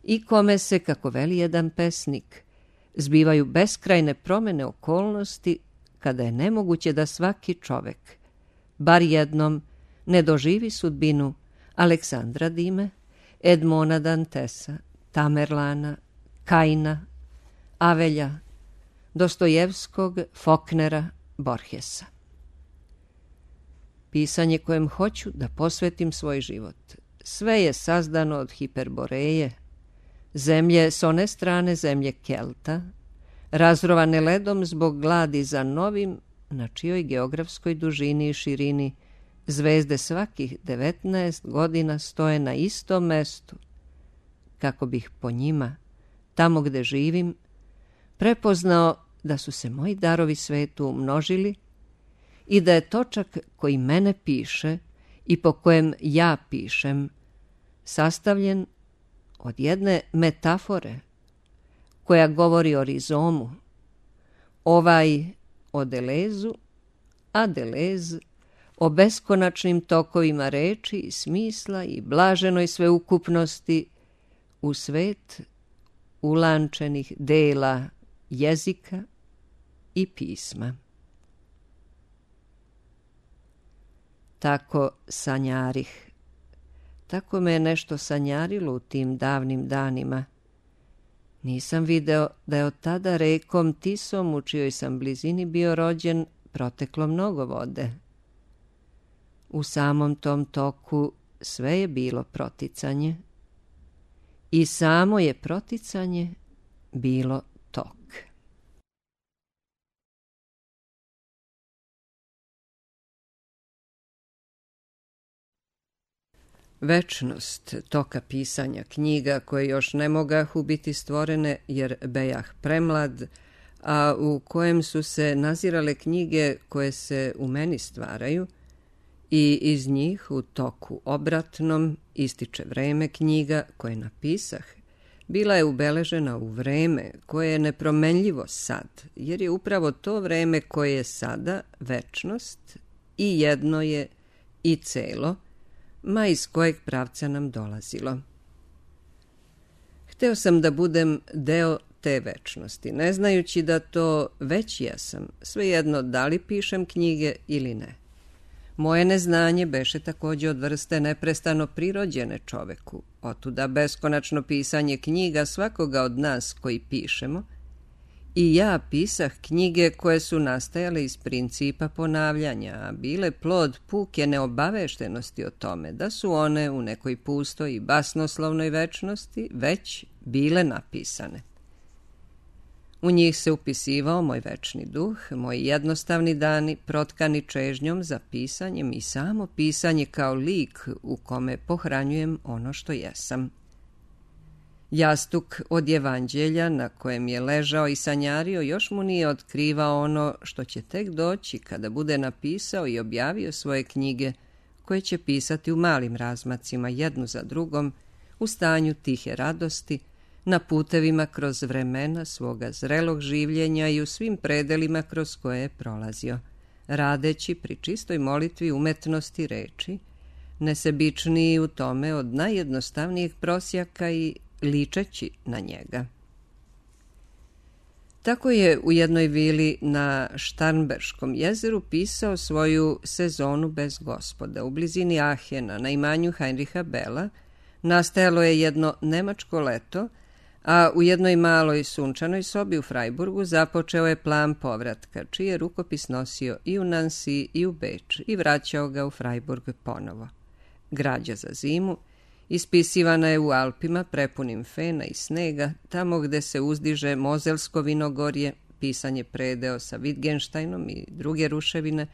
i kome se, kako veli jedan pesnik, zbivaju beskrajne promene okolnosti kada je nemoguće da svaki čovek, bar jednom, ne doživi sudbinu Aleksandra Dime, Edmonda Dantesa, Tamerlana, Kaina, Avelja, Dostojevskog, Faulknera, Borgesa. Pisanje kojem hoću da posvetim svoj život. Sve je sazdano od Hiperboreje, zemlje s one strane zemlje Kelta, razrovane ledom zbog gladi za novim, na čijoj geografskoj dužini i širini zvezde svakih devetnaest godina stoje na istom mestu, kako bih po njima, tamo gde živim, prepoznao da su se moji darovi svetu umnožili i da je točak koji mene piše i po kojem ja pišem sastavljen od jedne metafore koja govori o rizomu, ovaj o Delezu, a Delez o beskonačnim tokovima reči i smisla i blaženoj sveukupnosti u svet ulančenih dela jezika i pisma. Tako sanjarih. Tako me je nešto sanjarilo u tim davnim danima. Nisam video da je od tada rekom Tisom, u čijoj sam blizini bio rođen, proteklo mnogo vode. U samom tom toku sve je bilo proticanje i samo je proticanje bilo tok. Večnost toka pisanja knjiga koje još ne mogahu biti stvorene jer bejah premlad, a u kojem su se nazirale knjige koje se u meni stvaraju i iz njih u toku obratnom ističe vreme knjiga koje napisah, bila je ubeležena u vreme koje je nepromenljivo sad, jer je upravo to vreme koje je sada večnost i jedno je i celo, ma iz kojeg pravca nam dolazilo. Hteo sam da budem deo te večnosti, ne znajući da to već jesam, svejedno da li pišem knjige ili ne. Moje neznanje beše takođe od vrste neprestano prirođene čoveku, otuda beskonačno pisanje knjiga svakoga od nas koji pišemo, i ja pisah knjige koje su nastajale iz principa ponavljanja, a bile plod puke neobaveštenosti o tome da su one u nekoj pustoj i basnoslovnoj večnosti već bile napisane. U njih se upisivao moj večni duh, moji jednostavni dani protkani čežnjom za pisanjem i samo pisanje kao lik u kome pohranjujem ono što jesam. Jastuk od evanđelja na kojem je ležao i sanjario još mu nije otkrivao ono što će tek doći kada bude napisao i objavio svoje knjige koje će pisati u malim razmacima jednu za drugom u stanju tihe radosti, na putevima kroz vremena svoga zrelog življenja i u svim predelima kroz koje je prolazio, radeći pri čistoj molitvi umetnosti reči, nesebičniji u tome od najjednostavnijeg prosjaka i ličeći na njega. Tako je u jednoj vili na Štarnberškom jezeru pisao svoju Sezonu bez gospoda. U blizini Ahena, na imanju Heinricha Bella, nastajalo je jedno nemačko leto, a u jednoj maloj sunčanoj sobi u Frajburgu započeo je plan povratka, čiji je rukopis nosio i u Nancy i u Beč i vraćao ga u Frajburg ponovo. Građa za zimu ispisivana je u Alpima prepunim fena i snega, tamo gde se uzdiže Mozelsko vinogorje, pisan je predeo sa Wittgensteinom i druge ruševine.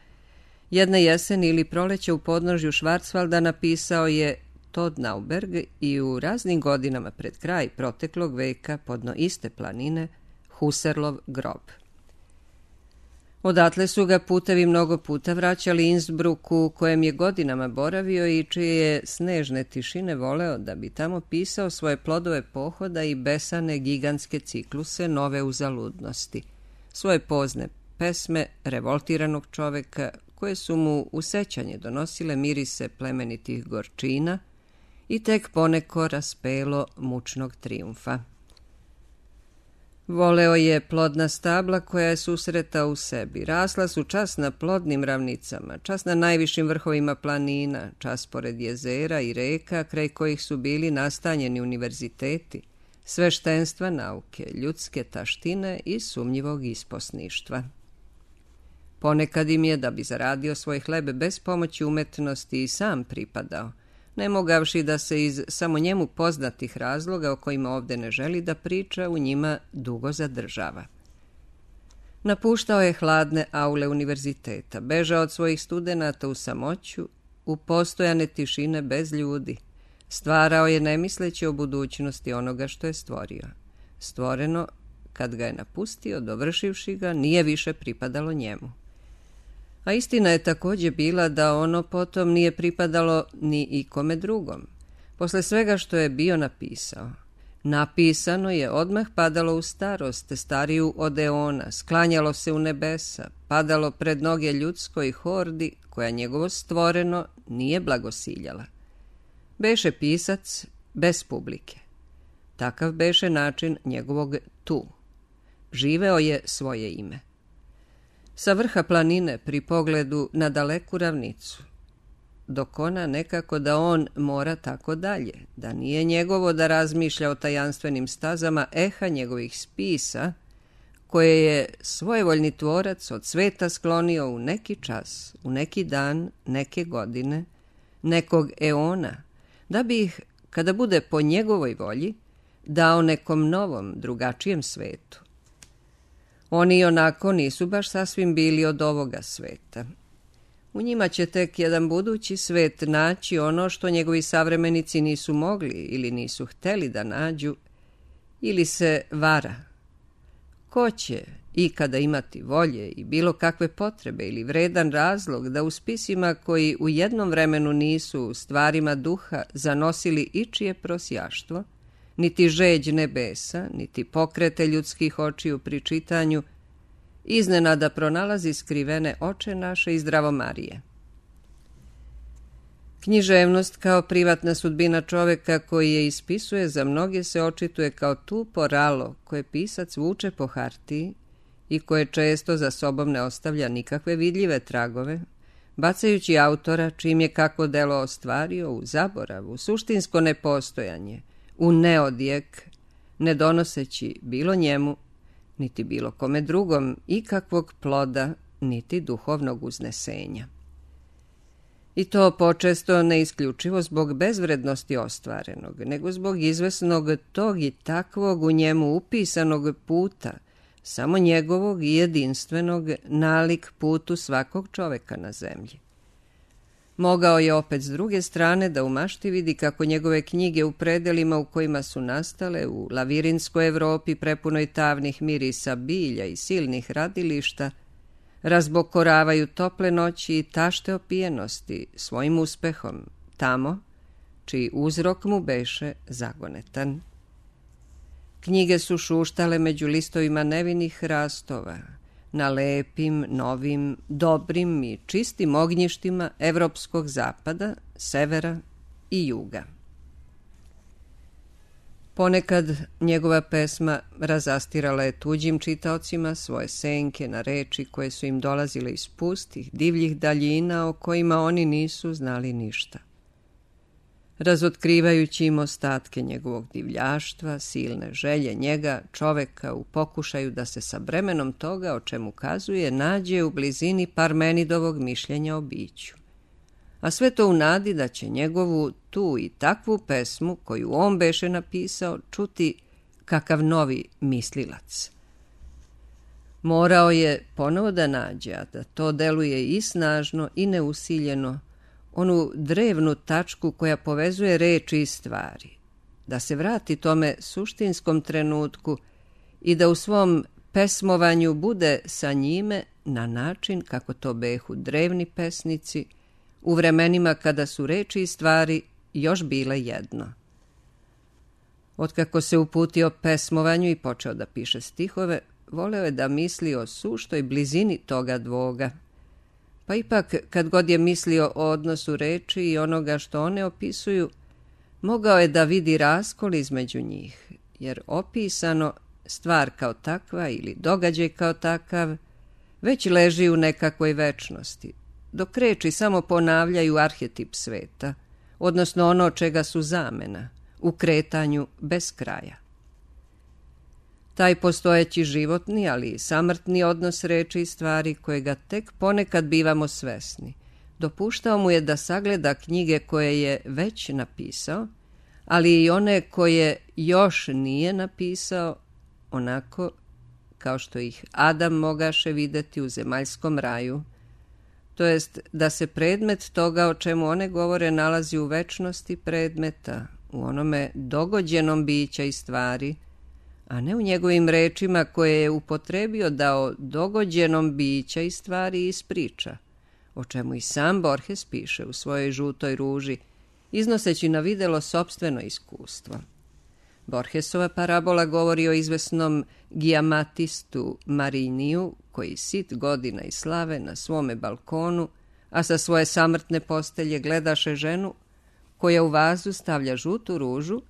Jedne jeseni ili proleće u podnožju Schwarzwalda napisao je Todd Nauberg i u raznim godinama pred kraj proteklog veka podno iste planine Husserlov grob. Odatle su ga putevi mnogo puta vraćali Innsbrucku, kojem je godinama boravio i čije je snežne tišine voleo da bi tamo pisao svoje plodove pohoda i besane gigantske cikluse nove uzaludnosti, svoje pozne pesme revoltiranog čoveka koje su mu u sećanje donosile mirise plemenitih gorčina i tek poneko raspelo mučnog trijumfa. Voleo je plodna stabla koja je susretao u sebi. Rasla su čas na plodnim ravnicama, čas na najvišim vrhovima planina, čas pored jezera i reka, kraj kojih su bili nastanjeni univerziteti, sveštenstva nauke, ljudske taštine i sumnjivog isposništva. Ponekad im je, da bi zaradio svoj hleb bez pomoći umetnosti, i sam pripadao, ne mogavši da se iz samo njemu poznatih razloga o kojima ovde ne želi da priča, u njima dugo zadržava. Napuštao je hladne aule univerziteta, bežao od svojih studenata u samoću, u postojane tišine bez ljudi. Stvarao je nemisleći o budućnosti onoga što je stvorio. Stvoreno, kad ga je napustio, dovršivši ga, nije više pripadalo njemu. A istina je također bila da ono potom nije pripadalo ni ikome drugom. Posle svega što je bio napisao, napisano je odmah padalo u starost, stariju od eona, sklanjalo se u nebesa, padalo pred noge ljudskoj hordi koja njegovo stvoreno nije blagosiljala. Beše pisac bez publike. Takav beše način njegovog tu. Živeo je svoje ime. Sa vrha planine pri pogledu na daleku ravnicu, dok ona nekako da on mora tako dalje, da nije njegovo da razmišlja o tajanstvenim stazama eha njegovih spisa, koje je svojevoljni tvorac od sveta sklonio u neki čas, u neki dan, neke godine, nekog eona, da bi ih, kada bude po njegovoj volji, dao nekom novom, drugačijem svetu. Oni onako nisu baš sasvim bili od ovoga sveta. U njima će tek jedan budući svet naći ono što njegovi savremenici nisu mogli ili nisu hteli da nađu, ili se vara. Ko će ikada imati volje i bilo kakve potrebe ili vredan razlog da u spisima koji u jednom vremenu nisu stvarima duha zanosili ičije prosjaštvo, niti žeđ nebesa, niti pokrete ljudskih očiju pri čitanju, iznenada pronalazi skrivene oče naše i zdravo Marije. Književnost kao privatna sudbina čoveka koji je ispisuje za mnoge se očituje kao tupo ralo koje pisac vuče po hartiji i koje često za sobom ne ostavlja nikakve vidljive tragove, bacajući autora čim je kako delo ostvario u zaborav, u suštinsko nepostojanje, u neodjek, ne donoseći bilo njemu, niti bilo kome drugom ikakvog ploda, niti duhovnog uznesenja. I to počesto ne isključivo zbog bezvrednosti ostvarenog, nego zbog izvesnog tog i takvog u njemu upisanog puta, samo njegovog i jedinstvenog nalik putu svakog čoveka na zemlji. Mogao je opet s druge strane da u mašti vidi kako njegove knjige u predelima u kojima su nastale, u lavirinskoj Evropi prepunoj tavnih mirisa bilja i silnih radilišta, razbokoravaju tople noći i tašte opijenosti svojim uspehom, tamo, čiji uzrok mu beše zagonetan. Knjige su šuštale među listovima nevinih hrastova, na lepim, novim, dobrim i čistim ognjištima evropskog zapada, severa i juga. Ponekad njegova pesma razastirala je tuđim čitaocima svoje senke na reči koje su im dolazile iz pustih, divljih daljina o kojima oni nisu znali ništa. Razotkrivajući im ostatke njegovog divljaštva, silne želje njega, čoveka u pokušaju da se sa bremenom toga o čemu kazuje nađe u blizini Parmenidovog mišljenja o biću. A sve to u nadi da će njegovu tu i takvu pesmu koju on beše napisao čuti kakav novi mislilac. Morao je ponovo da nađe, a da to deluje i snažno i neusiljeno, onu drevnu tačku koja povezuje reči i stvari, da se vrati tome suštinskom trenutku i da u svom pesmovanju bude sa njime na način kako to behu drevni pesnici u vremenima kada su reči i stvari još bile jedno. Otkako se uputio pesmovanju i počeo da piše stihove, voleo je da misli o suštoj blizini toga dvoga. Pa ipak, kad god je mislio o odnosu reči i onoga što one opisuju, mogao je da vidi raskol između njih, jer opisano, stvar kao takva ili događaj kao takav, već leži u nekakvoj večnosti, dok reči samo ponavljaju arhetip sveta, odnosno ono čega su zamena, u kretanju bez kraja. Taj postojeći životni, ali i samrtni odnos reči i stvari kojega tek ponekad bivamo svesni, dopuštao mu je da sagleda knjige koje je već napisao, ali i one koje još nije napisao, onako kao što ih Adam mogaše videti u zemaljskom raju, to jest da se predmet toga o čemu one govore nalazi u večnosti predmeta, u onome dogođenom bića i stvari, a ne u njegovim rečima koje je upotrebio da o dogođenom bića i stvari ispriča, o čemu i sam Borges piše u svojoj Žutoj ruži, iznoseći na videlo sopstveno iskustvo. Borgesova parabola govori o izvesnom gijamatistu Mariniju, koji sit godina i slave na svome balkonu, a sa svoje samrtne postelje gledaše ženu koja u vazu stavlja žutu ružu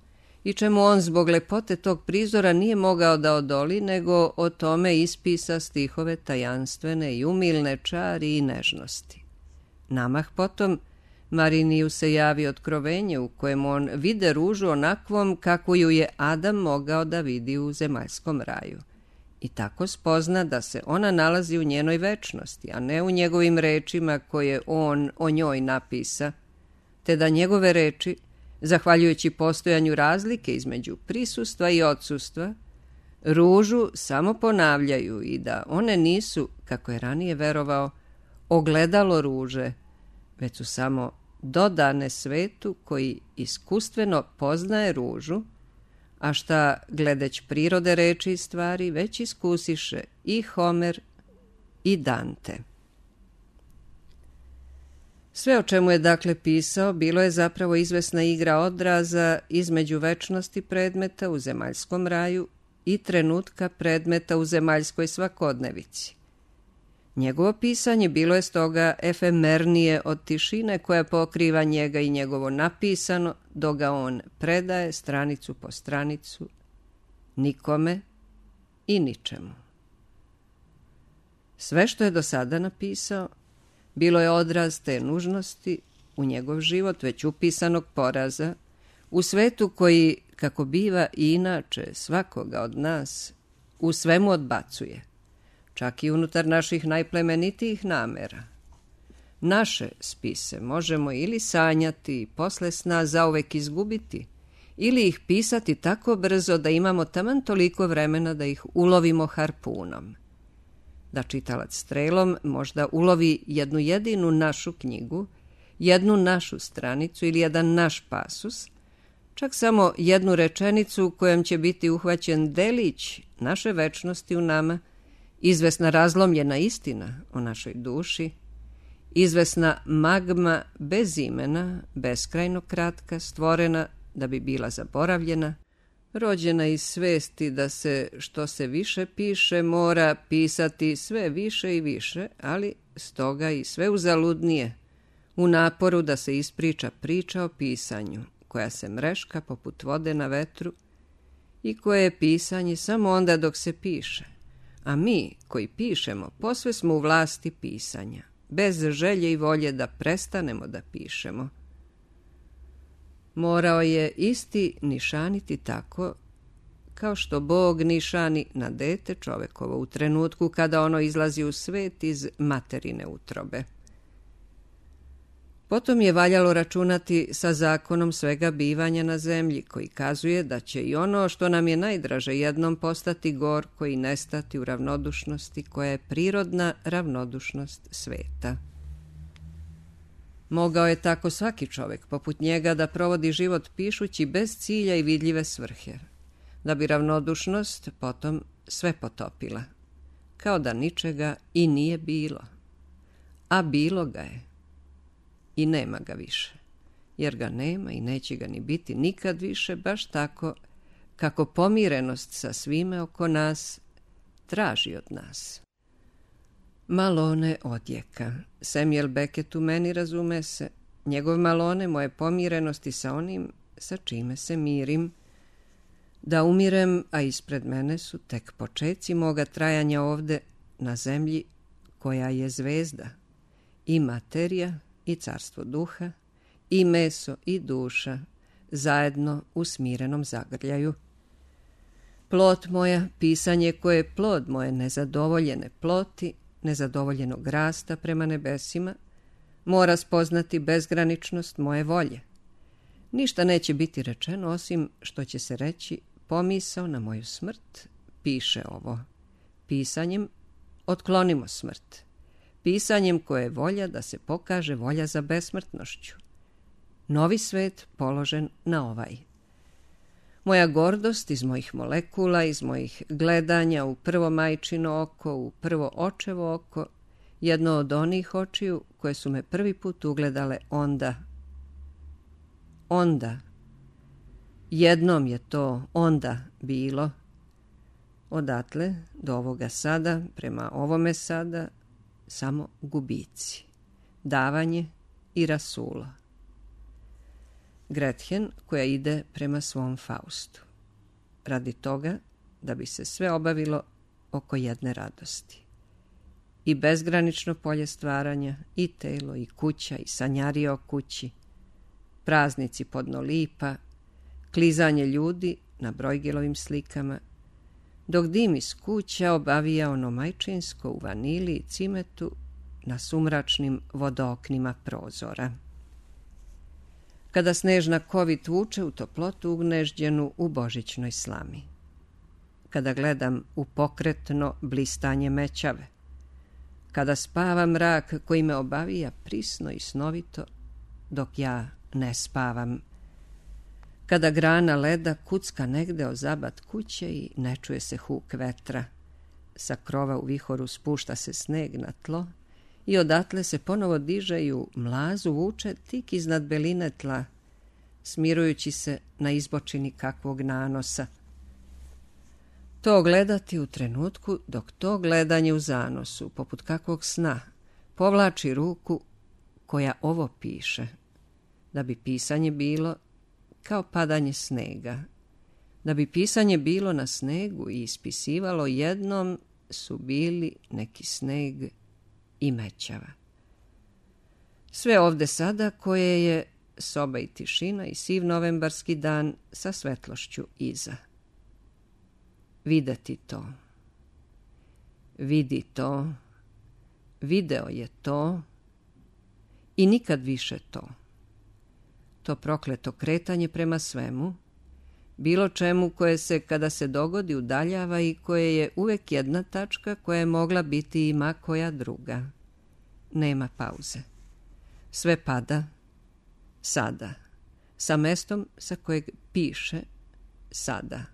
i čemu on zbog lepote tog prizora nije mogao da odoli, nego o tome ispisa stihove tajanstvene i umilne čari i nežnosti. Namah potom Mariniju se javi otkrovenje u kojem on vide ružu onakvom kako ju je Adam mogao da vidi u zemaljskom raju. I tako spozna da se ona nalazi u njenoj večnosti, a ne u njegovim rečima koje on o njoj napisa, te da njegove reči, zahvaljujući postojanju razlike između prisustva i odsustva, ružu samo ponavljaju i da one nisu, kako je ranije verovao, ogledalo ruže, već su samo dodane svetu koji iskustveno poznaje ružu, a šta, gledeć prirode reči i stvari, već iskusiše i Homer i Dante. Sve o čemu je dakle pisao bilo je zapravo izvesna igra odraza između večnosti predmeta u zemaljskom raju i trenutka predmeta u zemaljskoj svakodnevici. Njegovo pisanje bilo je stoga efemernije od tišine koja pokriva njega i njegovo napisano, dok ga on predaje stranicu po stranicu, nikome i ničemu. Sve što je do sada napisao bilo je odraz te nužnosti u njegov život već upisanog poraza, u svetu koji, kako biva i inače svakoga od nas, u svemu odbacuje, čak i unutar naših najplemenitijih namera. Naše spise možemo ili sanjati i posle sna zauvek izgubiti, ili ih pisati tako brzo da imamo taman toliko vremena da ih ulovimo harpunom. Da čitalac strelom možda ulovi jednu jedinu našu knjigu, jednu našu stranicu ili jedan naš pasus, čak samo jednu rečenicu u kojom će biti uhvaćen delić naše večnosti u nama, izvesna razlomljena istina o našoj duši, izvesna magma bez imena, beskrajno kratka, stvorena da bi bila zaboravljena, rođena iz svesti da se što se više piše mora pisati sve više i više, ali stoga i sve uzaludnije, u naporu da se ispriča priča o pisanju, koja se mreška poput vode na vetru i koje je pisanje samo onda dok se piše, a mi koji pišemo posve smo u vlasti pisanja, bez želje i volje da prestanemo da pišemo. Morao je isti nišaniti tako kao što Bog nišani na dete čovekovo u trenutku kada ono izlazi u svet iz materine utrobe. Potom je valjalo računati sa zakonom svega bivanja na zemlji, koji kazuje da će i ono što nam je najdraže jednom postati gorko i nestati u ravnodušnosti koja je prirodna ravnodušnost sveta. Mogao je tako svaki čovjek poput njega da provodi život pišući bez cilja i vidljive svrhe, da bi ravnodušnost potom sve potopila, kao da ničega i nije bilo, a bilo ga je. I nema ga više, jer ga nema i neće ga ni biti nikad više, baš tako kako pomirenost sa svime oko nas traži od nas. Malone odjeka. Samuel Beckett u meni, razume se, njegov malone moje pomirenosti sa onim sa čime se mirim, da umirem, a ispred mene su tek počeci moga trajanja ovde na zemlji koja je zvezda, i materija, i carstvo duha, i meso, i duša, zajedno u smirenom zagrljaju. Plot moja, pisanje koje je plod moje nezadovoljene ploti, nezadovoljenog rasta prema nebesima, mora spoznati bezgraničnost moje volje. Ništa neće biti rečeno osim što će se reći pomisao na moju smrt, piše ovo. Pisanjem otklonimo smrt. Pisanjem koje je volja da se pokaže volja za besmrtnošću. Novi svet položen na ovaj. Moja gordost iz mojih molekula, iz mojih gledanja u prvo majčino oko, u prvo očevo oko, jedno od onih očiju koje su me prvi put ugledale onda. Onda. Jednom je to onda bilo. Odatle do ovoga sada, prema ovome sada, samo gubici, davanje i rasulo. Gretchen koja ide prema svom Faustu, radi toga da bi se sve obavilo oko jedne radosti. I bezgranično polje stvaranja, i telo, i kuća, i sanjarija o kući, praznici podno lipa, klizanje ljudi na Brojgelovim slikama, dok dim iz kuća obavija ono majčinsko u vanili i cimetu na sumračnim vodooknima prozora. Kada snežna kovit vuče u toplotu ugnežđenu u božićnoj slami. Kada gledam u pokretno blistanje mećave. Kada spava mrak koji me obavija prisno i snovito, dok ja ne spavam. Kada grana leda kucka negde o zabat kuće i ne čuje se huk vetra. Sa krova u vihoru spušta se sneg na tlo i odatle se ponovo diže i u mlazu vuče tik iznad beline tla, smirujući se na izbočini kakvog nanosa. To gledati u trenutku dok to gledanje u zanosu, poput kakvog sna, povlači ruku koja ovo piše, da bi pisanje bilo kao padanje snega. Da bi pisanje bilo na snegu i ispisivalo jednom su bili neki sneg i mećava. Sve ovde sada koje je soba i tišina i siv novembarski dan sa svetlošću iza. Videti to. Vidi to. Video je to. I nikad više to. To prokleto kretanje prema svemu, bilo čemu koje se kada se dogodi udaljava i koje je uvek jedna tačka koja je mogla biti i ma koja druga. Nema pauze. Sve pada sada, sa mestom sa kojeg piše sada,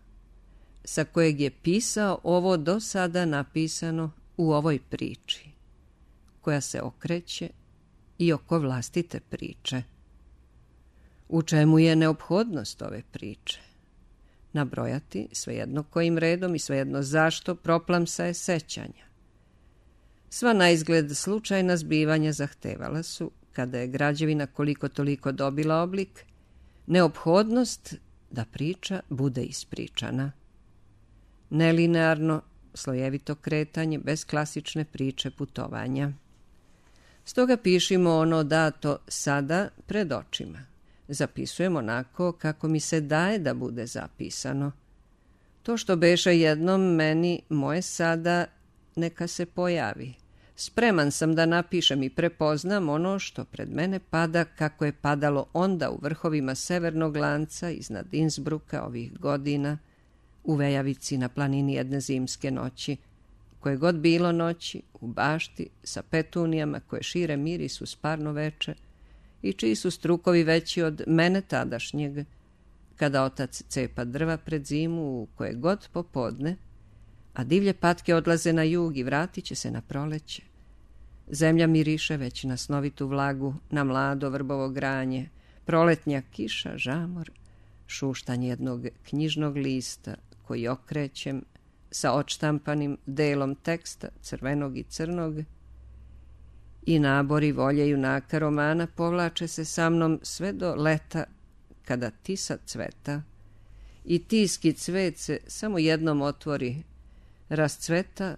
sa kojeg je pisao ovo do sada napisano u ovoj priči, koja se okreće i oko vlastite priče. U čemu je neophodnost ove priče? Nabrojati, svejedno kojim redom i svejedno zašto, proplamsaje sećanja. Sva naizgled slučajna zbivanja zahtevala su, kada je građevina koliko toliko dobila oblik, neophodnost da priča bude ispričana. nelinearno, slojevito kretanje bez klasične priče putovanja. Stoga pišimo ono dato sada pred očima. Zapisujem onako kako mi se daje da bude zapisano. To što beše jednom meni, moje sada, neka se pojavi. Spreman sam da napišem i prepoznam ono što pred mene pada kako je padalo onda u vrhovima severnog lanca iznad Innsbrucka ovih godina, u Vejavici na planini jedne zimske noći, koje god bilo noći, u bašti sa petunijama koje šire miris uz parno veče i čiji su strukovi veći od mene tadašnjeg, kada otac cepa drva pred zimu u koje god popodne, a divlje patke odlaze na jug i vratit će se na proleće. Zemlja miriše već na snovitu vlagu, na mlado vrbovo granje, proletnja kiša, žamor, šuštanje jednog knjižnog lista koji okrećem sa odštampanim delom teksta crvenog i crnog i nabori volje junaka romana povlače se sa mnom sve do leta kada tisa cveta i tiski cvet se samo jednom otvori, rascveta,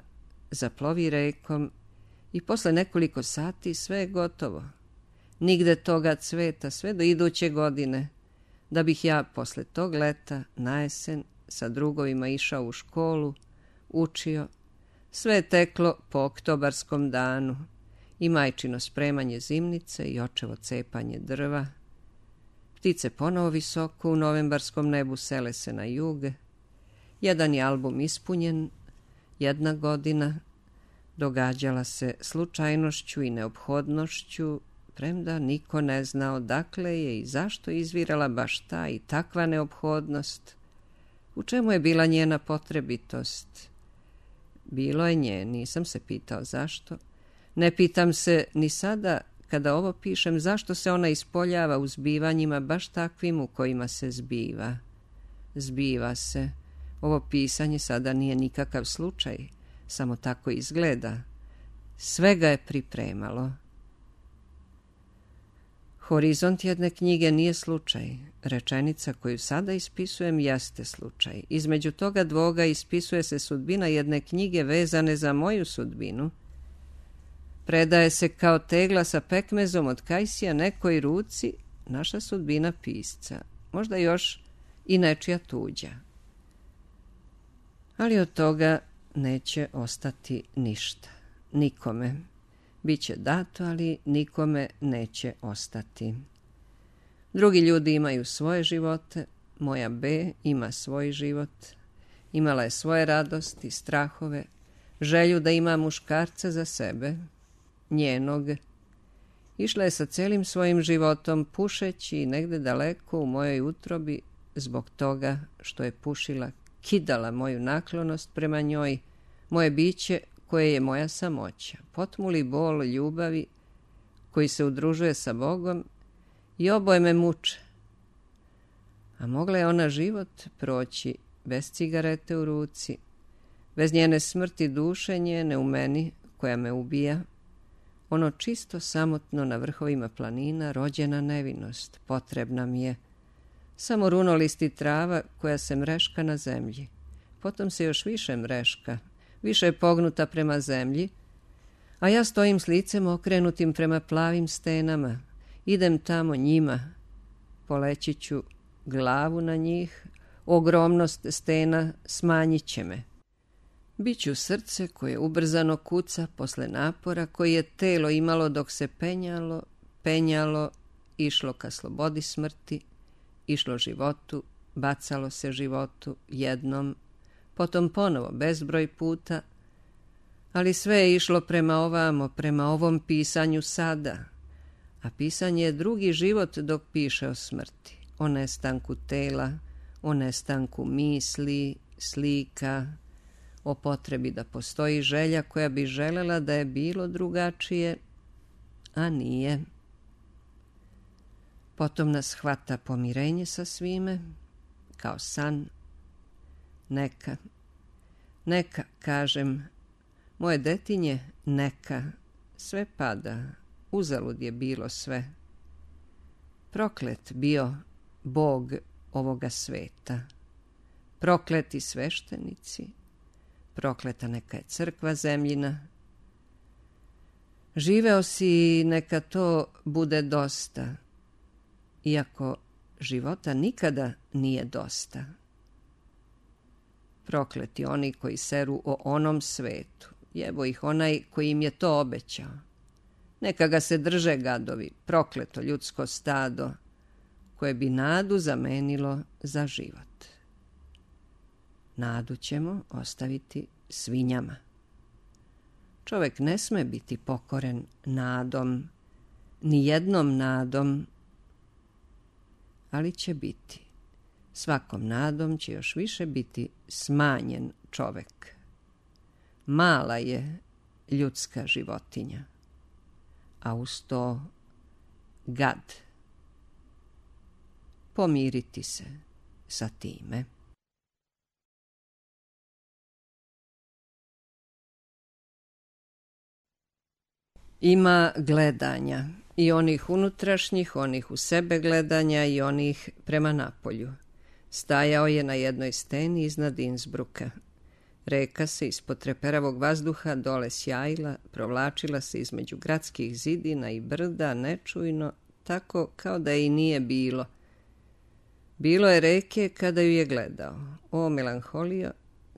zaplovi rekom i posle nekoliko sati sve je gotovo. Nigde toga cveta sve do iduće godine, da bih ja posle tog leta na jesen sa drugovima išao u školu, učio, sve je teklo po oktobarskom danu i majčino spremanje zimnice i očevo cepanje drva. Ptice ponovo visoko u novembarskom nebu sele se na jug. Jedan je album ispunjen, jedna godina događala se slučajnošću i neophodnošću, premda niko ne zna odakle je i zašto izvirala baš ta i takva neophodnost. U čemu je bila njena potrebitost? Bilo je nje, nisam se pitao zašto. Ne pitam se ni sada, kada ovo pišem, zašto se ona ispoljava u zbivanjima baš takvim u kojima se zbiva. Zbiva se. Ovo pisanje sada nije nikakav slučaj, samo tako izgleda. Sve ga je pripremalo. Horizont jedne knjige nije slučaj. Rečenica koju sada ispisujem jeste slučaj. Između toga dvoga ispisuje se sudbina jedne knjige vezane za moju sudbinu. Predaje se kao tegla sa pekmezom od kajsija nekoj ruci naša sudbina pisca, možda još i nečija tuđa. Ali od toga neće ostati ništa. Nikome. Biće dato, ali nikome neće ostati. Drugi ljudi imaju svoje živote, moja B ima svoj život. Imala je svoje radosti, strahove, želju da ima muškarca za sebe, njenog. Išla je sa celim svojim životom pušeći negde daleko u mojoj utrobi zbog toga što je pušila, kidala moju naklonost prema njoj, moje biće koje je moja samoća, potmuli bol ljubavi koji se udružuje sa Bogom i oboje me muče. A mogla je ona život proći bez cigarete u ruci, bez njene smrti duše njene u meni koja me ubija, ono čisto samotno na vrhovima planina rođena nevinost, potrebna mi je, samo runolisti trava koja se mreška na zemlji, potom se još više mreška, više je pognuta prema zemlji, a ja stojim s licem okrenutim prema plavim stenama, idem tamo njima, poleći ću glavu na njih, ogromnost stena smanjit će me. Biću srce koje ubrzano kuca posle napora koji je telo imalo dok se penjalo, penjalo, išlo ka slobodi smrti, išlo životu, bacalo se životu jednom, potom ponovo bezbroj puta, ali sve je išlo prema ovamo, prema ovom pisanju sada, a pisanje je drugi život dok piše o smrti, o nestanku tela, o nestanku misli, slika, o potrebi da postoji želja koja bi želela da je bilo drugačije, a nije. Potom nas hvata pomirenje sa svime, kao san. Neka, neka, kažem, moje detinje, neka, sve pada, uzalud je bilo sve. Proklet bio Bog ovoga sveta, prokleti sveštenici, prokleta neka je crkva zemljina. Živeo si, neka to bude dosta, iako života nikada nije dosta. Prokleti oni koji seru o onom svetu, jebo ih onaj koji im je to obećao. Neka ga se drže gadovi, prokleto ljudsko stado, koje bi nadu zamenilo za život. Nadu ćemo ostaviti svinjama. Čovek ne sme biti pokoren nadom, ni jednom nadom, ali će biti. Svakom nadom će još više biti smanjen čovek. Mala je ljudska životinja, a uz to gad. Pomiriti se sa time. Ima gledanja, i onih unutrašnjih, onih u sebe gledanja i onih prema napolju. Stajao je na jednoj steni iznad Innsbrucka. Reka se ispod treperavog vazduha dole sjajila, provlačila se između gradskih zidina i brda, nečujno, tako kao da i nije bilo. Bilo je reke kada ju je gledao. O, melanholio,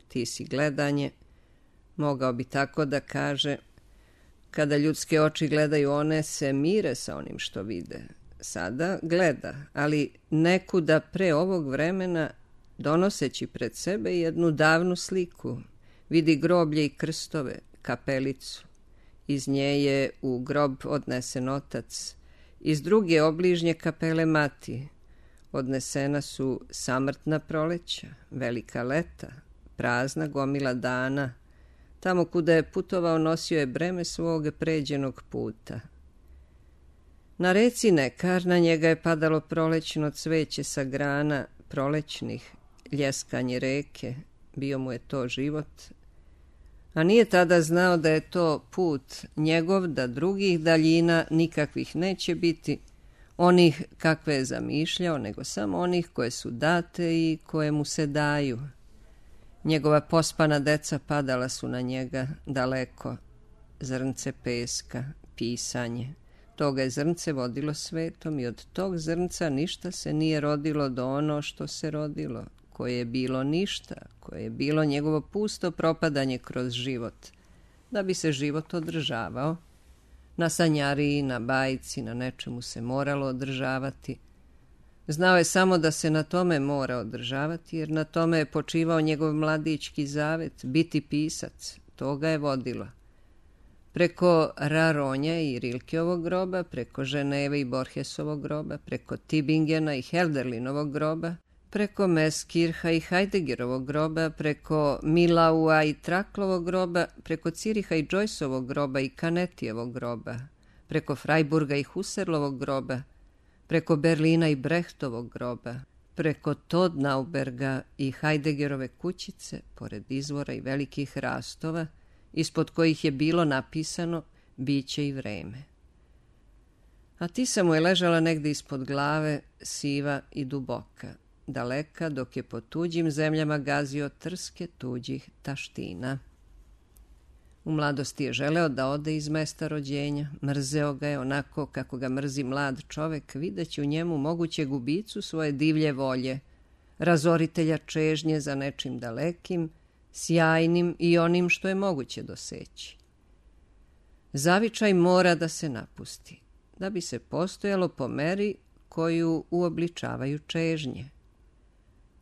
ti si gledanje, mogao bi tako da kaže. Kada ljudske oči gledaju, one se mire sa onim što vide. Sada gleda, ali nekuda pre ovog vremena, donoseći pred sebe jednu davnu sliku, vidi groblje i krstove, kapelicu. Iz nje je u grob odnesen otac, iz druge obližnje kapele mati. Odnesena su samrtna proleća, velika leta, prazna gomila dana. Tamo kuda je putovao nosio je breme svog pređenog puta. Na reci Nekar na njega je padalo prolećno cveće sa grana prolećnih, ljeskanje reke, bio mu je to život. A nije tada znao da je to put njegov, da drugih daljina nikakvih neće biti, onih kakve je zamišljao, nego samo onih koje su date i koje mu se daju. Njegova pospana deca padala su na njega daleko, zrnce peska, pisanje. Toga je zrnce vodilo svetom i od tog zrnca ništa se nije rodilo do ono što se rodilo, koje je bilo ništa, koje je bilo njegovo pusto propadanje kroz život, da bi se život održavao. Na sanjariji, na bajci, na nečemu se moralo održavati. Znao je samo da se na tome mora održavati, jer na tome je počivao njegov mladićki zavet, biti pisac. To ga je vodilo. Preko Raronja i Rilkeovog groba, preko Ženeve i Borgesovog groba, preko Tibingena i Helderlinovog groba, preko Meskirha i Heideggerovog groba, preko Milaua i Traklovog groba, preko Ciriha i Joyceovog groba i Kanetijevog groba, preko Freiburga i Husserlovog groba, preko Berlina i Brechtovog groba, preko Todnauberga i Heideggerove kućice, pored izvora i velikih rastova, ispod kojih je bilo napisano biće i vreme. A Tisa mu je ležala negde ispod glave, siva i duboka, daleka dok je po tuđim zemljama gazio trske tuđih taština. U mladosti je želeo da ode iz mesta rođenja, mrzeo ga je onako kako ga mrzi mlad čovek, videći u njemu moguće gubicu svoje divlje volje, razoritelja čežnje za nečim dalekim, sjajnim i onim što je moguće doseći. Zavičaj mora da se napusti, da bi se postojalo po meri koju uobličavaju čežnje.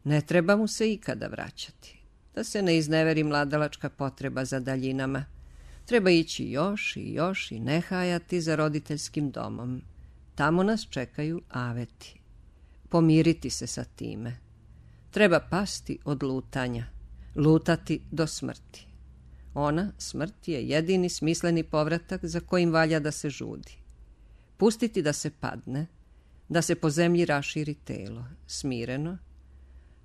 Ne treba mu se ikada vraćati, da se ne izneveri mladalačka potreba za daljinama. Treba ići još i još i ne hajati za roditeljskim domom. Tamo nas čekaju aveti. Pomiriti se sa time. Treba pasti od lutanja, lutati do smrti. Ona, smrt, je jedini smisleni povratak za kojim valja da se žudi. Pustiti da se padne, da se po zemlji raširi telo, smireno,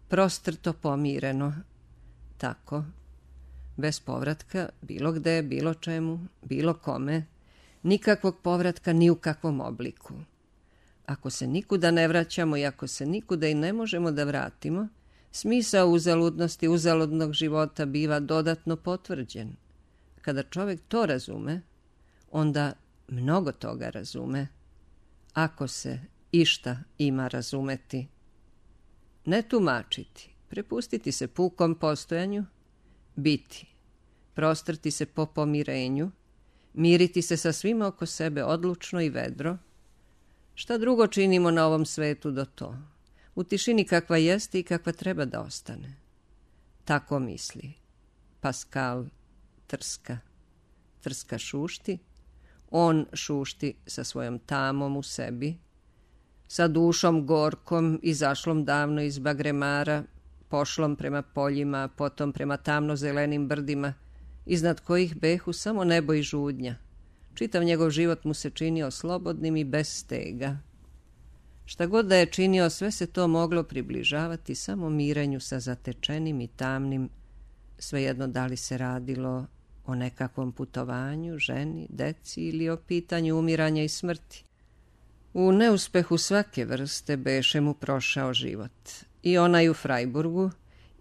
prostrto pomireno, tako, bez povratka, bilo gde, bilo čemu, bilo kome, nikakvog povratka ni u kakvom obliku. Ako se nikuda ne vraćamo i ako se nikuda i ne možemo da vratimo, Smisao uzaludnosti uzaludnog života biva dodatno potvrđen. Kada čovjek to razume, onda mnogo toga razume, ako se išta ima razumeti. Ne tumačiti, prepustiti se pukom postojanju, biti, prostrti se po pomirenju, miriti se sa svima oko sebe odlučno i vedro. Šta drugo činimo na ovom svetu do to? U tišini kakva jeste i kakva treba da ostane. Tako misli Pascal Trska. Trska šušti, on šušti sa svojom tamom u sebi, sa dušom gorkom izašlom davno iz bagremara, pošlom prema poljima, potom prema tamno-zelenim brdima, iznad kojih behu samo nebo i žudnja. Čitav njegov život mu se činio slobodnim i bez stega. Šta god da je činio, sve se to moglo približavati samo mirenju sa zatečenim i tamnim, svejedno da li se radilo o nekakvom putovanju, ženi, deci ili o pitanju umiranja i smrti. U neuspehu svake vrste beše mu prošao život. I onaj u Freiburgu,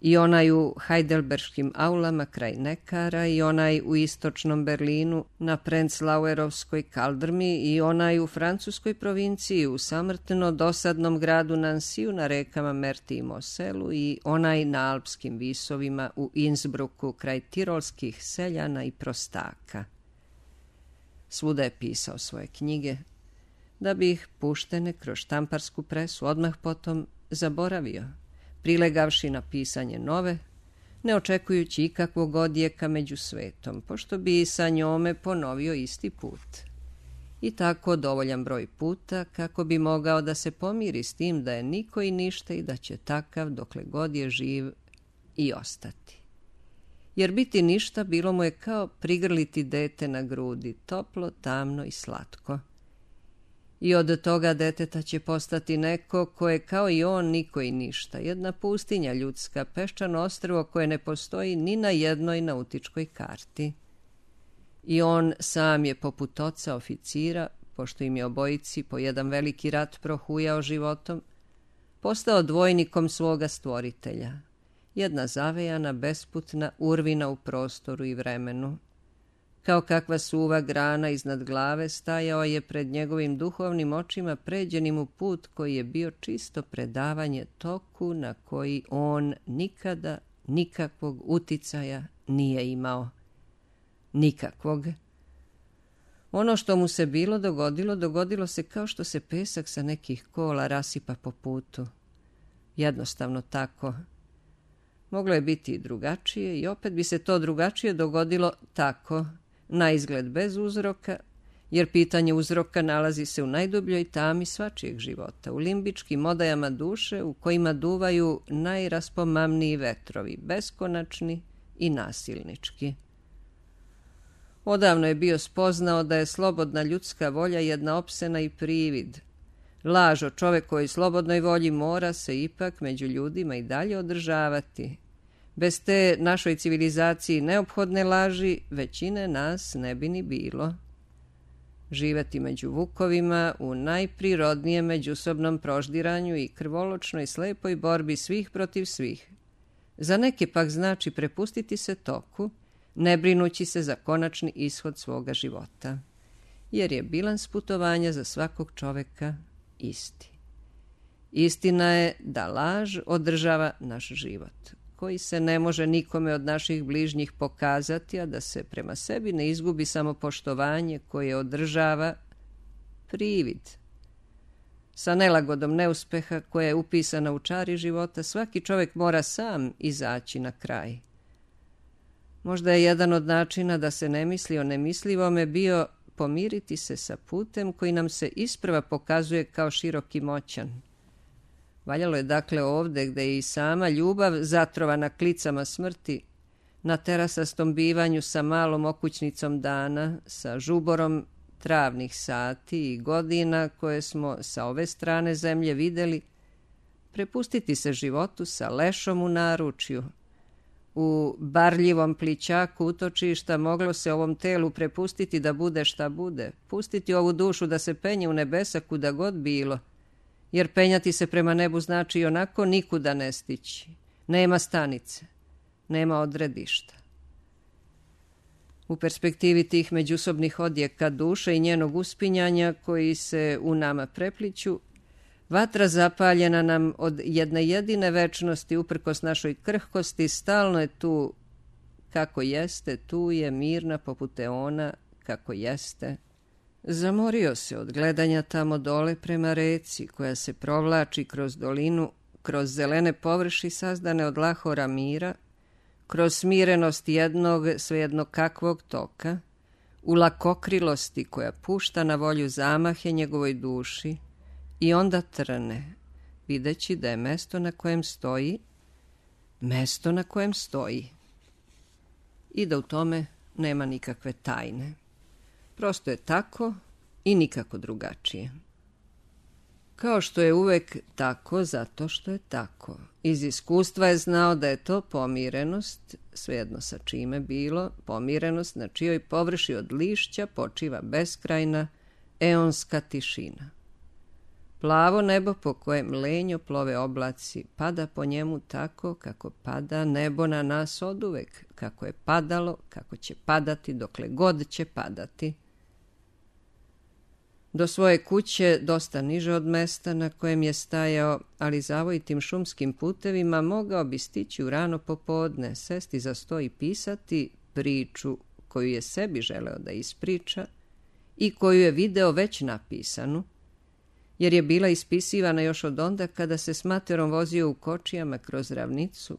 i onaj u Heidelberškim aulama kraj Nekara, i onaj u istočnom Berlinu na Prenzlauerovskoj kaldrmi, i onaj u francuskoj provinciji u samrtno dosadnom gradu Nansiju na rekama Merti i Moselu, i onaj na alpskim visovima u Innsbrucku kraj tirolskih seljana i prostaka. Svuda je pisao svoje knjige, da bi ih puštene kroz štamparsku presu odmah potom zaboravio, prilegavši na pisanje nove, ne očekujući ikakvog odjeka među svetom, pošto bi sa njome ponovio isti put. I tako dovoljan broj puta kako bi mogao da se pomiri s tim da je niko i ništa i da će takav dokle god je živ i ostati. Jer biti ništa bilo mu je kao prigrliti dete na grudi, toplo, tamno i slatko. I od toga deteta će postati neko ko je kao i on niko i ništa, jedna pustinja ljudska, peščano ostrvo koje ne postoji ni na jednoj nautičkoj karti. I on sam je poput oca oficira, pošto im je obojici po jedan veliki rat prohujao životom, postao dvojnikom svoga stvoritelja, jedna zavejana, besputna urvina u prostoru i vremenu. Kao kakva suva grana iznad glave stajao je pred njegovim duhovnim očima pređenim u put koji je bio čisto predavanje toku na koji on nikada nikakvog uticaja nije imao. Nikakvog. Ono što mu se bilo dogodilo, dogodilo se kao što se pesak sa nekih kola rasipa po putu. Jednostavno tako. Moglo je biti i drugačije i opet bi se to drugačije dogodilo tako, na izgled bez uzroka, jer pitanje uzroka nalazi se u najdubljoj tami svačijeg života, u limbičkim odajama duše u kojima duvaju najraspomamniji vetrovi, beskonačni i nasilnički. Odavno je bio spoznao da je slobodna ljudska volja jedna opsena i privid. Laž o čovekovoj slobodnoj volji mora se ipak među ljudima i dalje održavati. Bez te našoj civilizaciji neophodne laži većine nas ne bi ni bilo. Živeti među vukovima u najprirodnijem međusobnom proždiranju i krvoločnoj slepoj borbi svih protiv svih. Za neke pak znači prepustiti se toku, ne brinući se za konačni ishod svoga života, jer je bilans putovanja za svakog čoveka isti. Istina je da laž održava naš život, koji se ne može nikome od naših bližnjih pokazati, a da se prema sebi ne izgubi samopoštovanje koje održava privid. Sa nelagodom neuspeha koja je upisana u čari života, svaki čovjek mora sam izaći na kraj. Možda je jedan od načina da se ne misli o nemislivome bio pomiriti se sa putem koji nam se isprva pokazuje kao širok i moćan. Valjalo je dakle ovde gde je i sama ljubav zatrovana klicama smrti, na terasastom bivanju sa malom okućnicom dana, sa žuborom travnih sati i godina koje smo sa ove strane zemlje videli, prepustiti se životu sa lešom u naručju. U barljivom plićaku utočišta moglo se ovom telu prepustiti da bude šta bude, pustiti ovu dušu da se penje u nebesa kuda god bilo, jer penjati se prema nebu znači i onako nikuda ne stići. Nema stanice, nema odredišta. U perspektivi tih međusobnih odjeka duše i njenog uspinjanja koji se u nama prepliću, vatra zapaljena nam od jedne jedine večnosti uprkos našoj krhkosti stalno je tu kako jeste, tu je mirna poput eona kako jeste. Zamorio se od gledanja tamo dole prema reci koja se provlači kroz dolinu, kroz zelene površi sazdane od lahora mira, kroz smirenost jednog svejedno kakvog toka, u lakokrilosti koja pušta na volju zamahe njegovoj duši i onda trne, videći da je mesto na kojem stoji, mesto na kojem stoji i da u tome nema nikakve tajne. Prosto je tako i nikako drugačije. Kao što je uvek tako zato što je tako. Iz iskustva je znao da je to pomirenost, svejedno sa čime bilo, pomirenost na čijoj površi od lišća počiva beskrajna, eonska tišina. Plavo nebo po kojem lenjo plove oblaci pada po njemu tako kako pada nebo na nas oduvek, kako je padalo, kako će padati dokle god će padati. Do svoje kuće, dosta niže od mesta na kojem je stajao, ali zavojitim šumskim putevima, mogao bi stići u rano popodne, sesti za sto i pisati priču koju je sebi želeo da ispriča i koju je video već napisanu, jer je bila ispisivana još od onda kada se s materom vozio u kočijama kroz ravnicu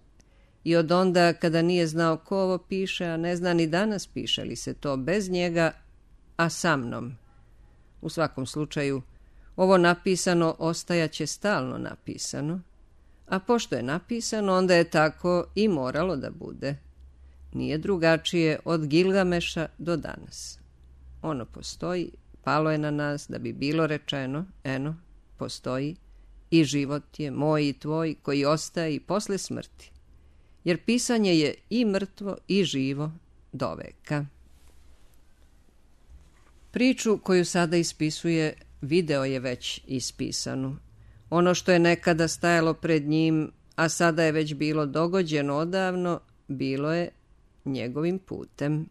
i od onda kada nije znao ko ovo piše, a ne zna ni danas piše li se to bez njega, a sa mnom. U svakom slučaju, ovo napisano ostajaće stalno napisano, a pošto je napisano, onda je tako i moralo da bude. Nije drugačije od Gilgameša do danas. Ono postoji, palo je na nas da bi bilo rečeno, eno, postoji i život je moj i tvoj koji ostaje i posle smrti, jer pisanje je i mrtvo i živo do veka. Priču koju sada ispisuje video je već ispisanu. Ono što je nekada stajalo pred njim, a sada je već bilo dogođeno odavno, bilo je njegovim putem.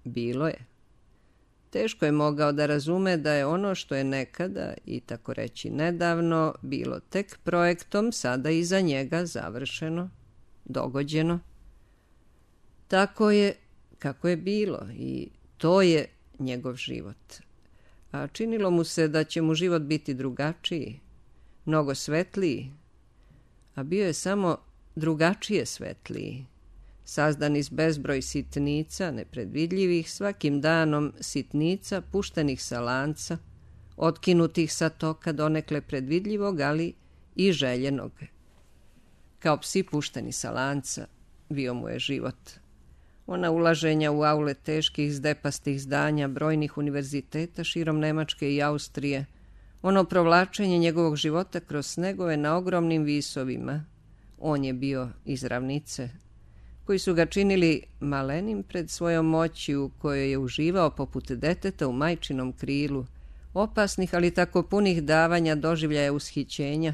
Bilo je. Teško je mogao da razume da je ono što je nekada i tako reći nedavno bilo tek projektom sada iza njega završeno, dogođeno. Tako je kako je bilo i to je njegov život. A činilo mu se da će mu život biti drugačiji, mnogo svetliji, a bio je samo drugačije svetliji, sazdan iz bezbroj sitnica, nepredvidljivih, svakim danom sitnica puštenih sa lanca, otkinutih sa toka donekle predvidljivog, ali i željenog. Kao psi pušteni sa lanca, bio mu je život. Ona ulaženja u aule teških zdepastih zdanja brojnih univerziteta širom Nemačke i Austrije, ono provlačenje njegovog života kroz snegove na ogromnim visovima, on je bio iz ravnice, koji su ga činili malenim pred svojom moći u kojoj je uživao poput deteta u majčinom krilu, opasnih ali tako punih davanja doživljaja ushićenja,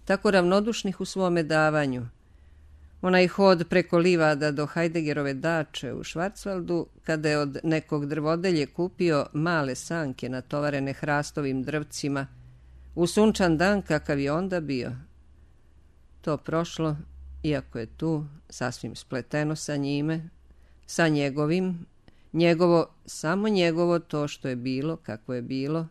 tako ravnodušnih u svome davanju. Onaj hod preko livada do Heideggerove dače u Schwarzwaldu, kada je od nekog drvodelje kupio male sanke natovarene hrastovim drvcima, u sunčan dan kakav je onda bio. To prošlo, iako je tu, sasvim spleteno sa njime, sa njegovim, njegovo, samo njegovo to što je bilo, kako je bilo,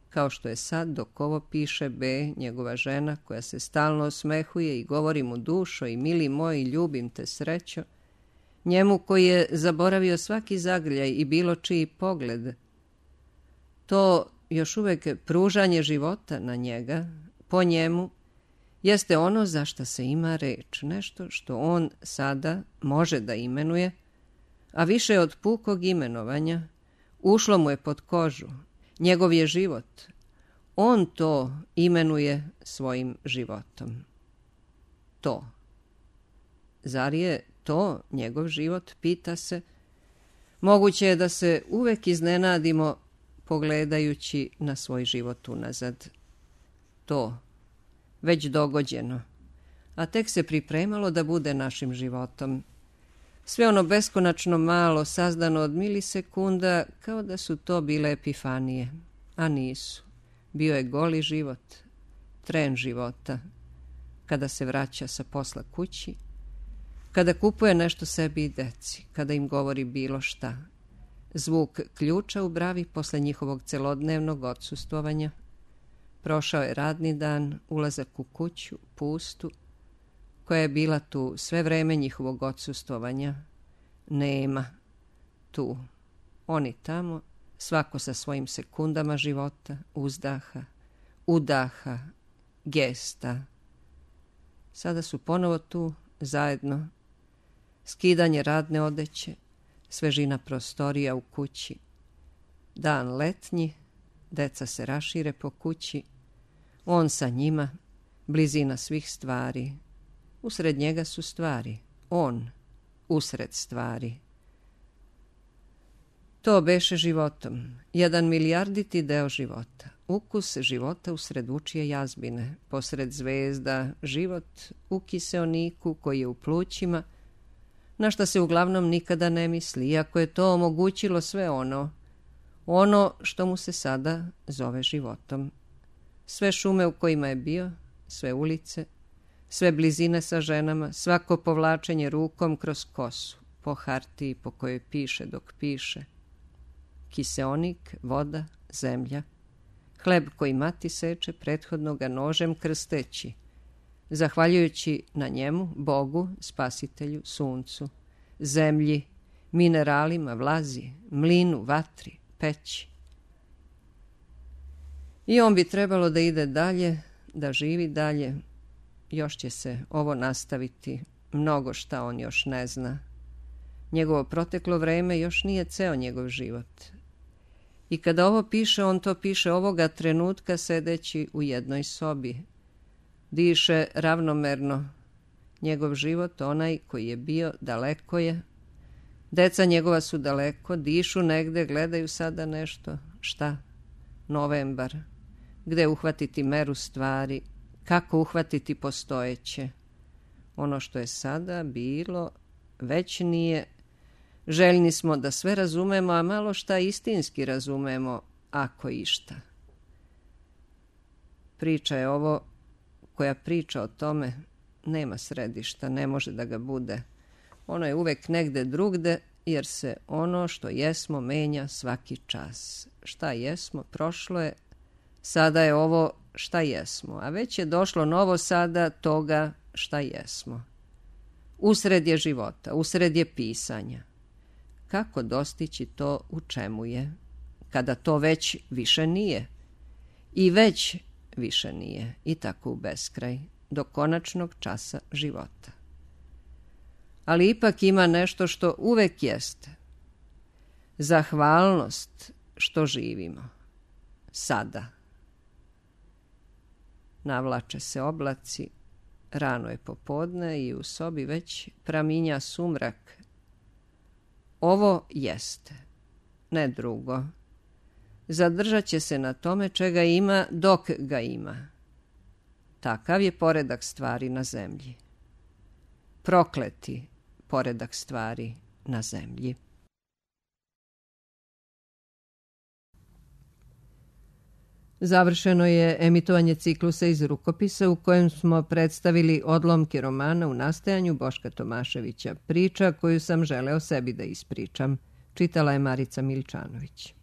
kao što je sad dok ovo piše B, njegova žena, koja se stalno osmehuje i govori mu dušo i mili moj, ljubim te srećo, njemu koji je zaboravio svaki zagrljaj i bilo čiji pogled. To još uvek pružanje života na njega, po njemu, jeste ono za šta se ima reč, nešto što on sada može da imenuje, a više od pukog imenovanja ušlo mu je pod kožu. Njegov je život. On to imenuje svojim životom. To. Zar je to njegov život, pita se? Moguće je da se uvek iznenadimo pogledajući na svoj život unazad. To. Već dogođeno. a tek se pripremalo da bude našim životom. Sve ono beskonačno malo, sazdano od milisekunda, kao da su to bile epifanije, a nisu. Bio je goli život, tren života, kada se vraća sa posla kući, kada kupuje nešto sebi i deci, kada im govori bilo šta. Zvuk ključa u bravi posle njihovog celodnevnog odsustvovanja. Prošao je radni dan, ulazak u kuću, pustu, koja je bila tu sve vreme njihovog odsustvovanja. Nema tu. Oni tamo, svako sa svojim sekundama života, uzdaha, udaha, gesta. Sada su ponovo tu, zajedno. Skidanje radne odeće, svežina prostorija u kući. Dan letnji, deca se rašire po kući. On sa njima, blizina svih stvari. Usred njega su stvari, on usred stvari. To beše životom, jedan milijarditi deo života. Ukus života usred vučije jazbine, posred zvezda, život u kiseoniku koji je u plućima, na šta se uglavnom nikada ne misli, iako je to omogućilo sve ono, ono što mu se sada zove životom. Sve šume u kojima je bio, sve ulice, sve blizine sa ženama, svako povlačenje rukom kroz kosu, po hartiji po kojoj piše dok piše. Kiseonik, voda, zemlja, hleb koji mati seče, prethodno ga nožem krsteći, zahvaljujući na njemu Bogu, spasitelju, suncu, zemlji, mineralima, vlazi, mlinu, vatri, peći. I on bi trebalo da ide dalje, da živi dalje. Još će se ovo nastaviti, mnogo šta on još ne zna. Njegovo proteklo vreme još nije ceo njegov život. I kada ovo piše, on to piše ovoga trenutka sedeći u jednoj sobi. Diše ravnomerno. Njegov život, onaj koji je bio, daleko je. Deca njegova su daleko, dišu negde, gledaju sada nešto. Šta? Novembar. Gde uhvatiti meru stvari? Kako uhvatiti postojeće? Ono što je sada bilo, već nije. Željni smo da sve razumemo, a malo šta istinski razumemo, ako išta. Priča je ovo koja priča o tome, nema središta, ne može da ga bude. Ono je uvek negde drugde, jer se ono što jesmo menja svaki čas. Šta jesmo, prošlo je, sada je ovo šta jesmo, a već je došlo novo sada toga šta jesmo. Usred je života, usred je pisanja. Kako dostići to u čemu je, kada to već više nije? I već više nije, i tako u beskraj, do konačnog časa života. Ali ipak ima nešto što uvek jeste. Zahvalnost što živimo. Sada. Navlače se oblaci, rano je popodne i u sobi već praminja sumrak. Ovo jeste, ne drugo. Zadržat će se na tome čega ima dok ga ima. Takav je poredak stvari na zemlji. Prokleti poredak stvari na zemlji. Završeno je emitovanje ciklusa iz rukopisa u kojem smo predstavili odlomke romana u nastajanju Boška Tomaševića, priča koju sam želeo sebi da ispričam. Čitala je Marica Miličanović.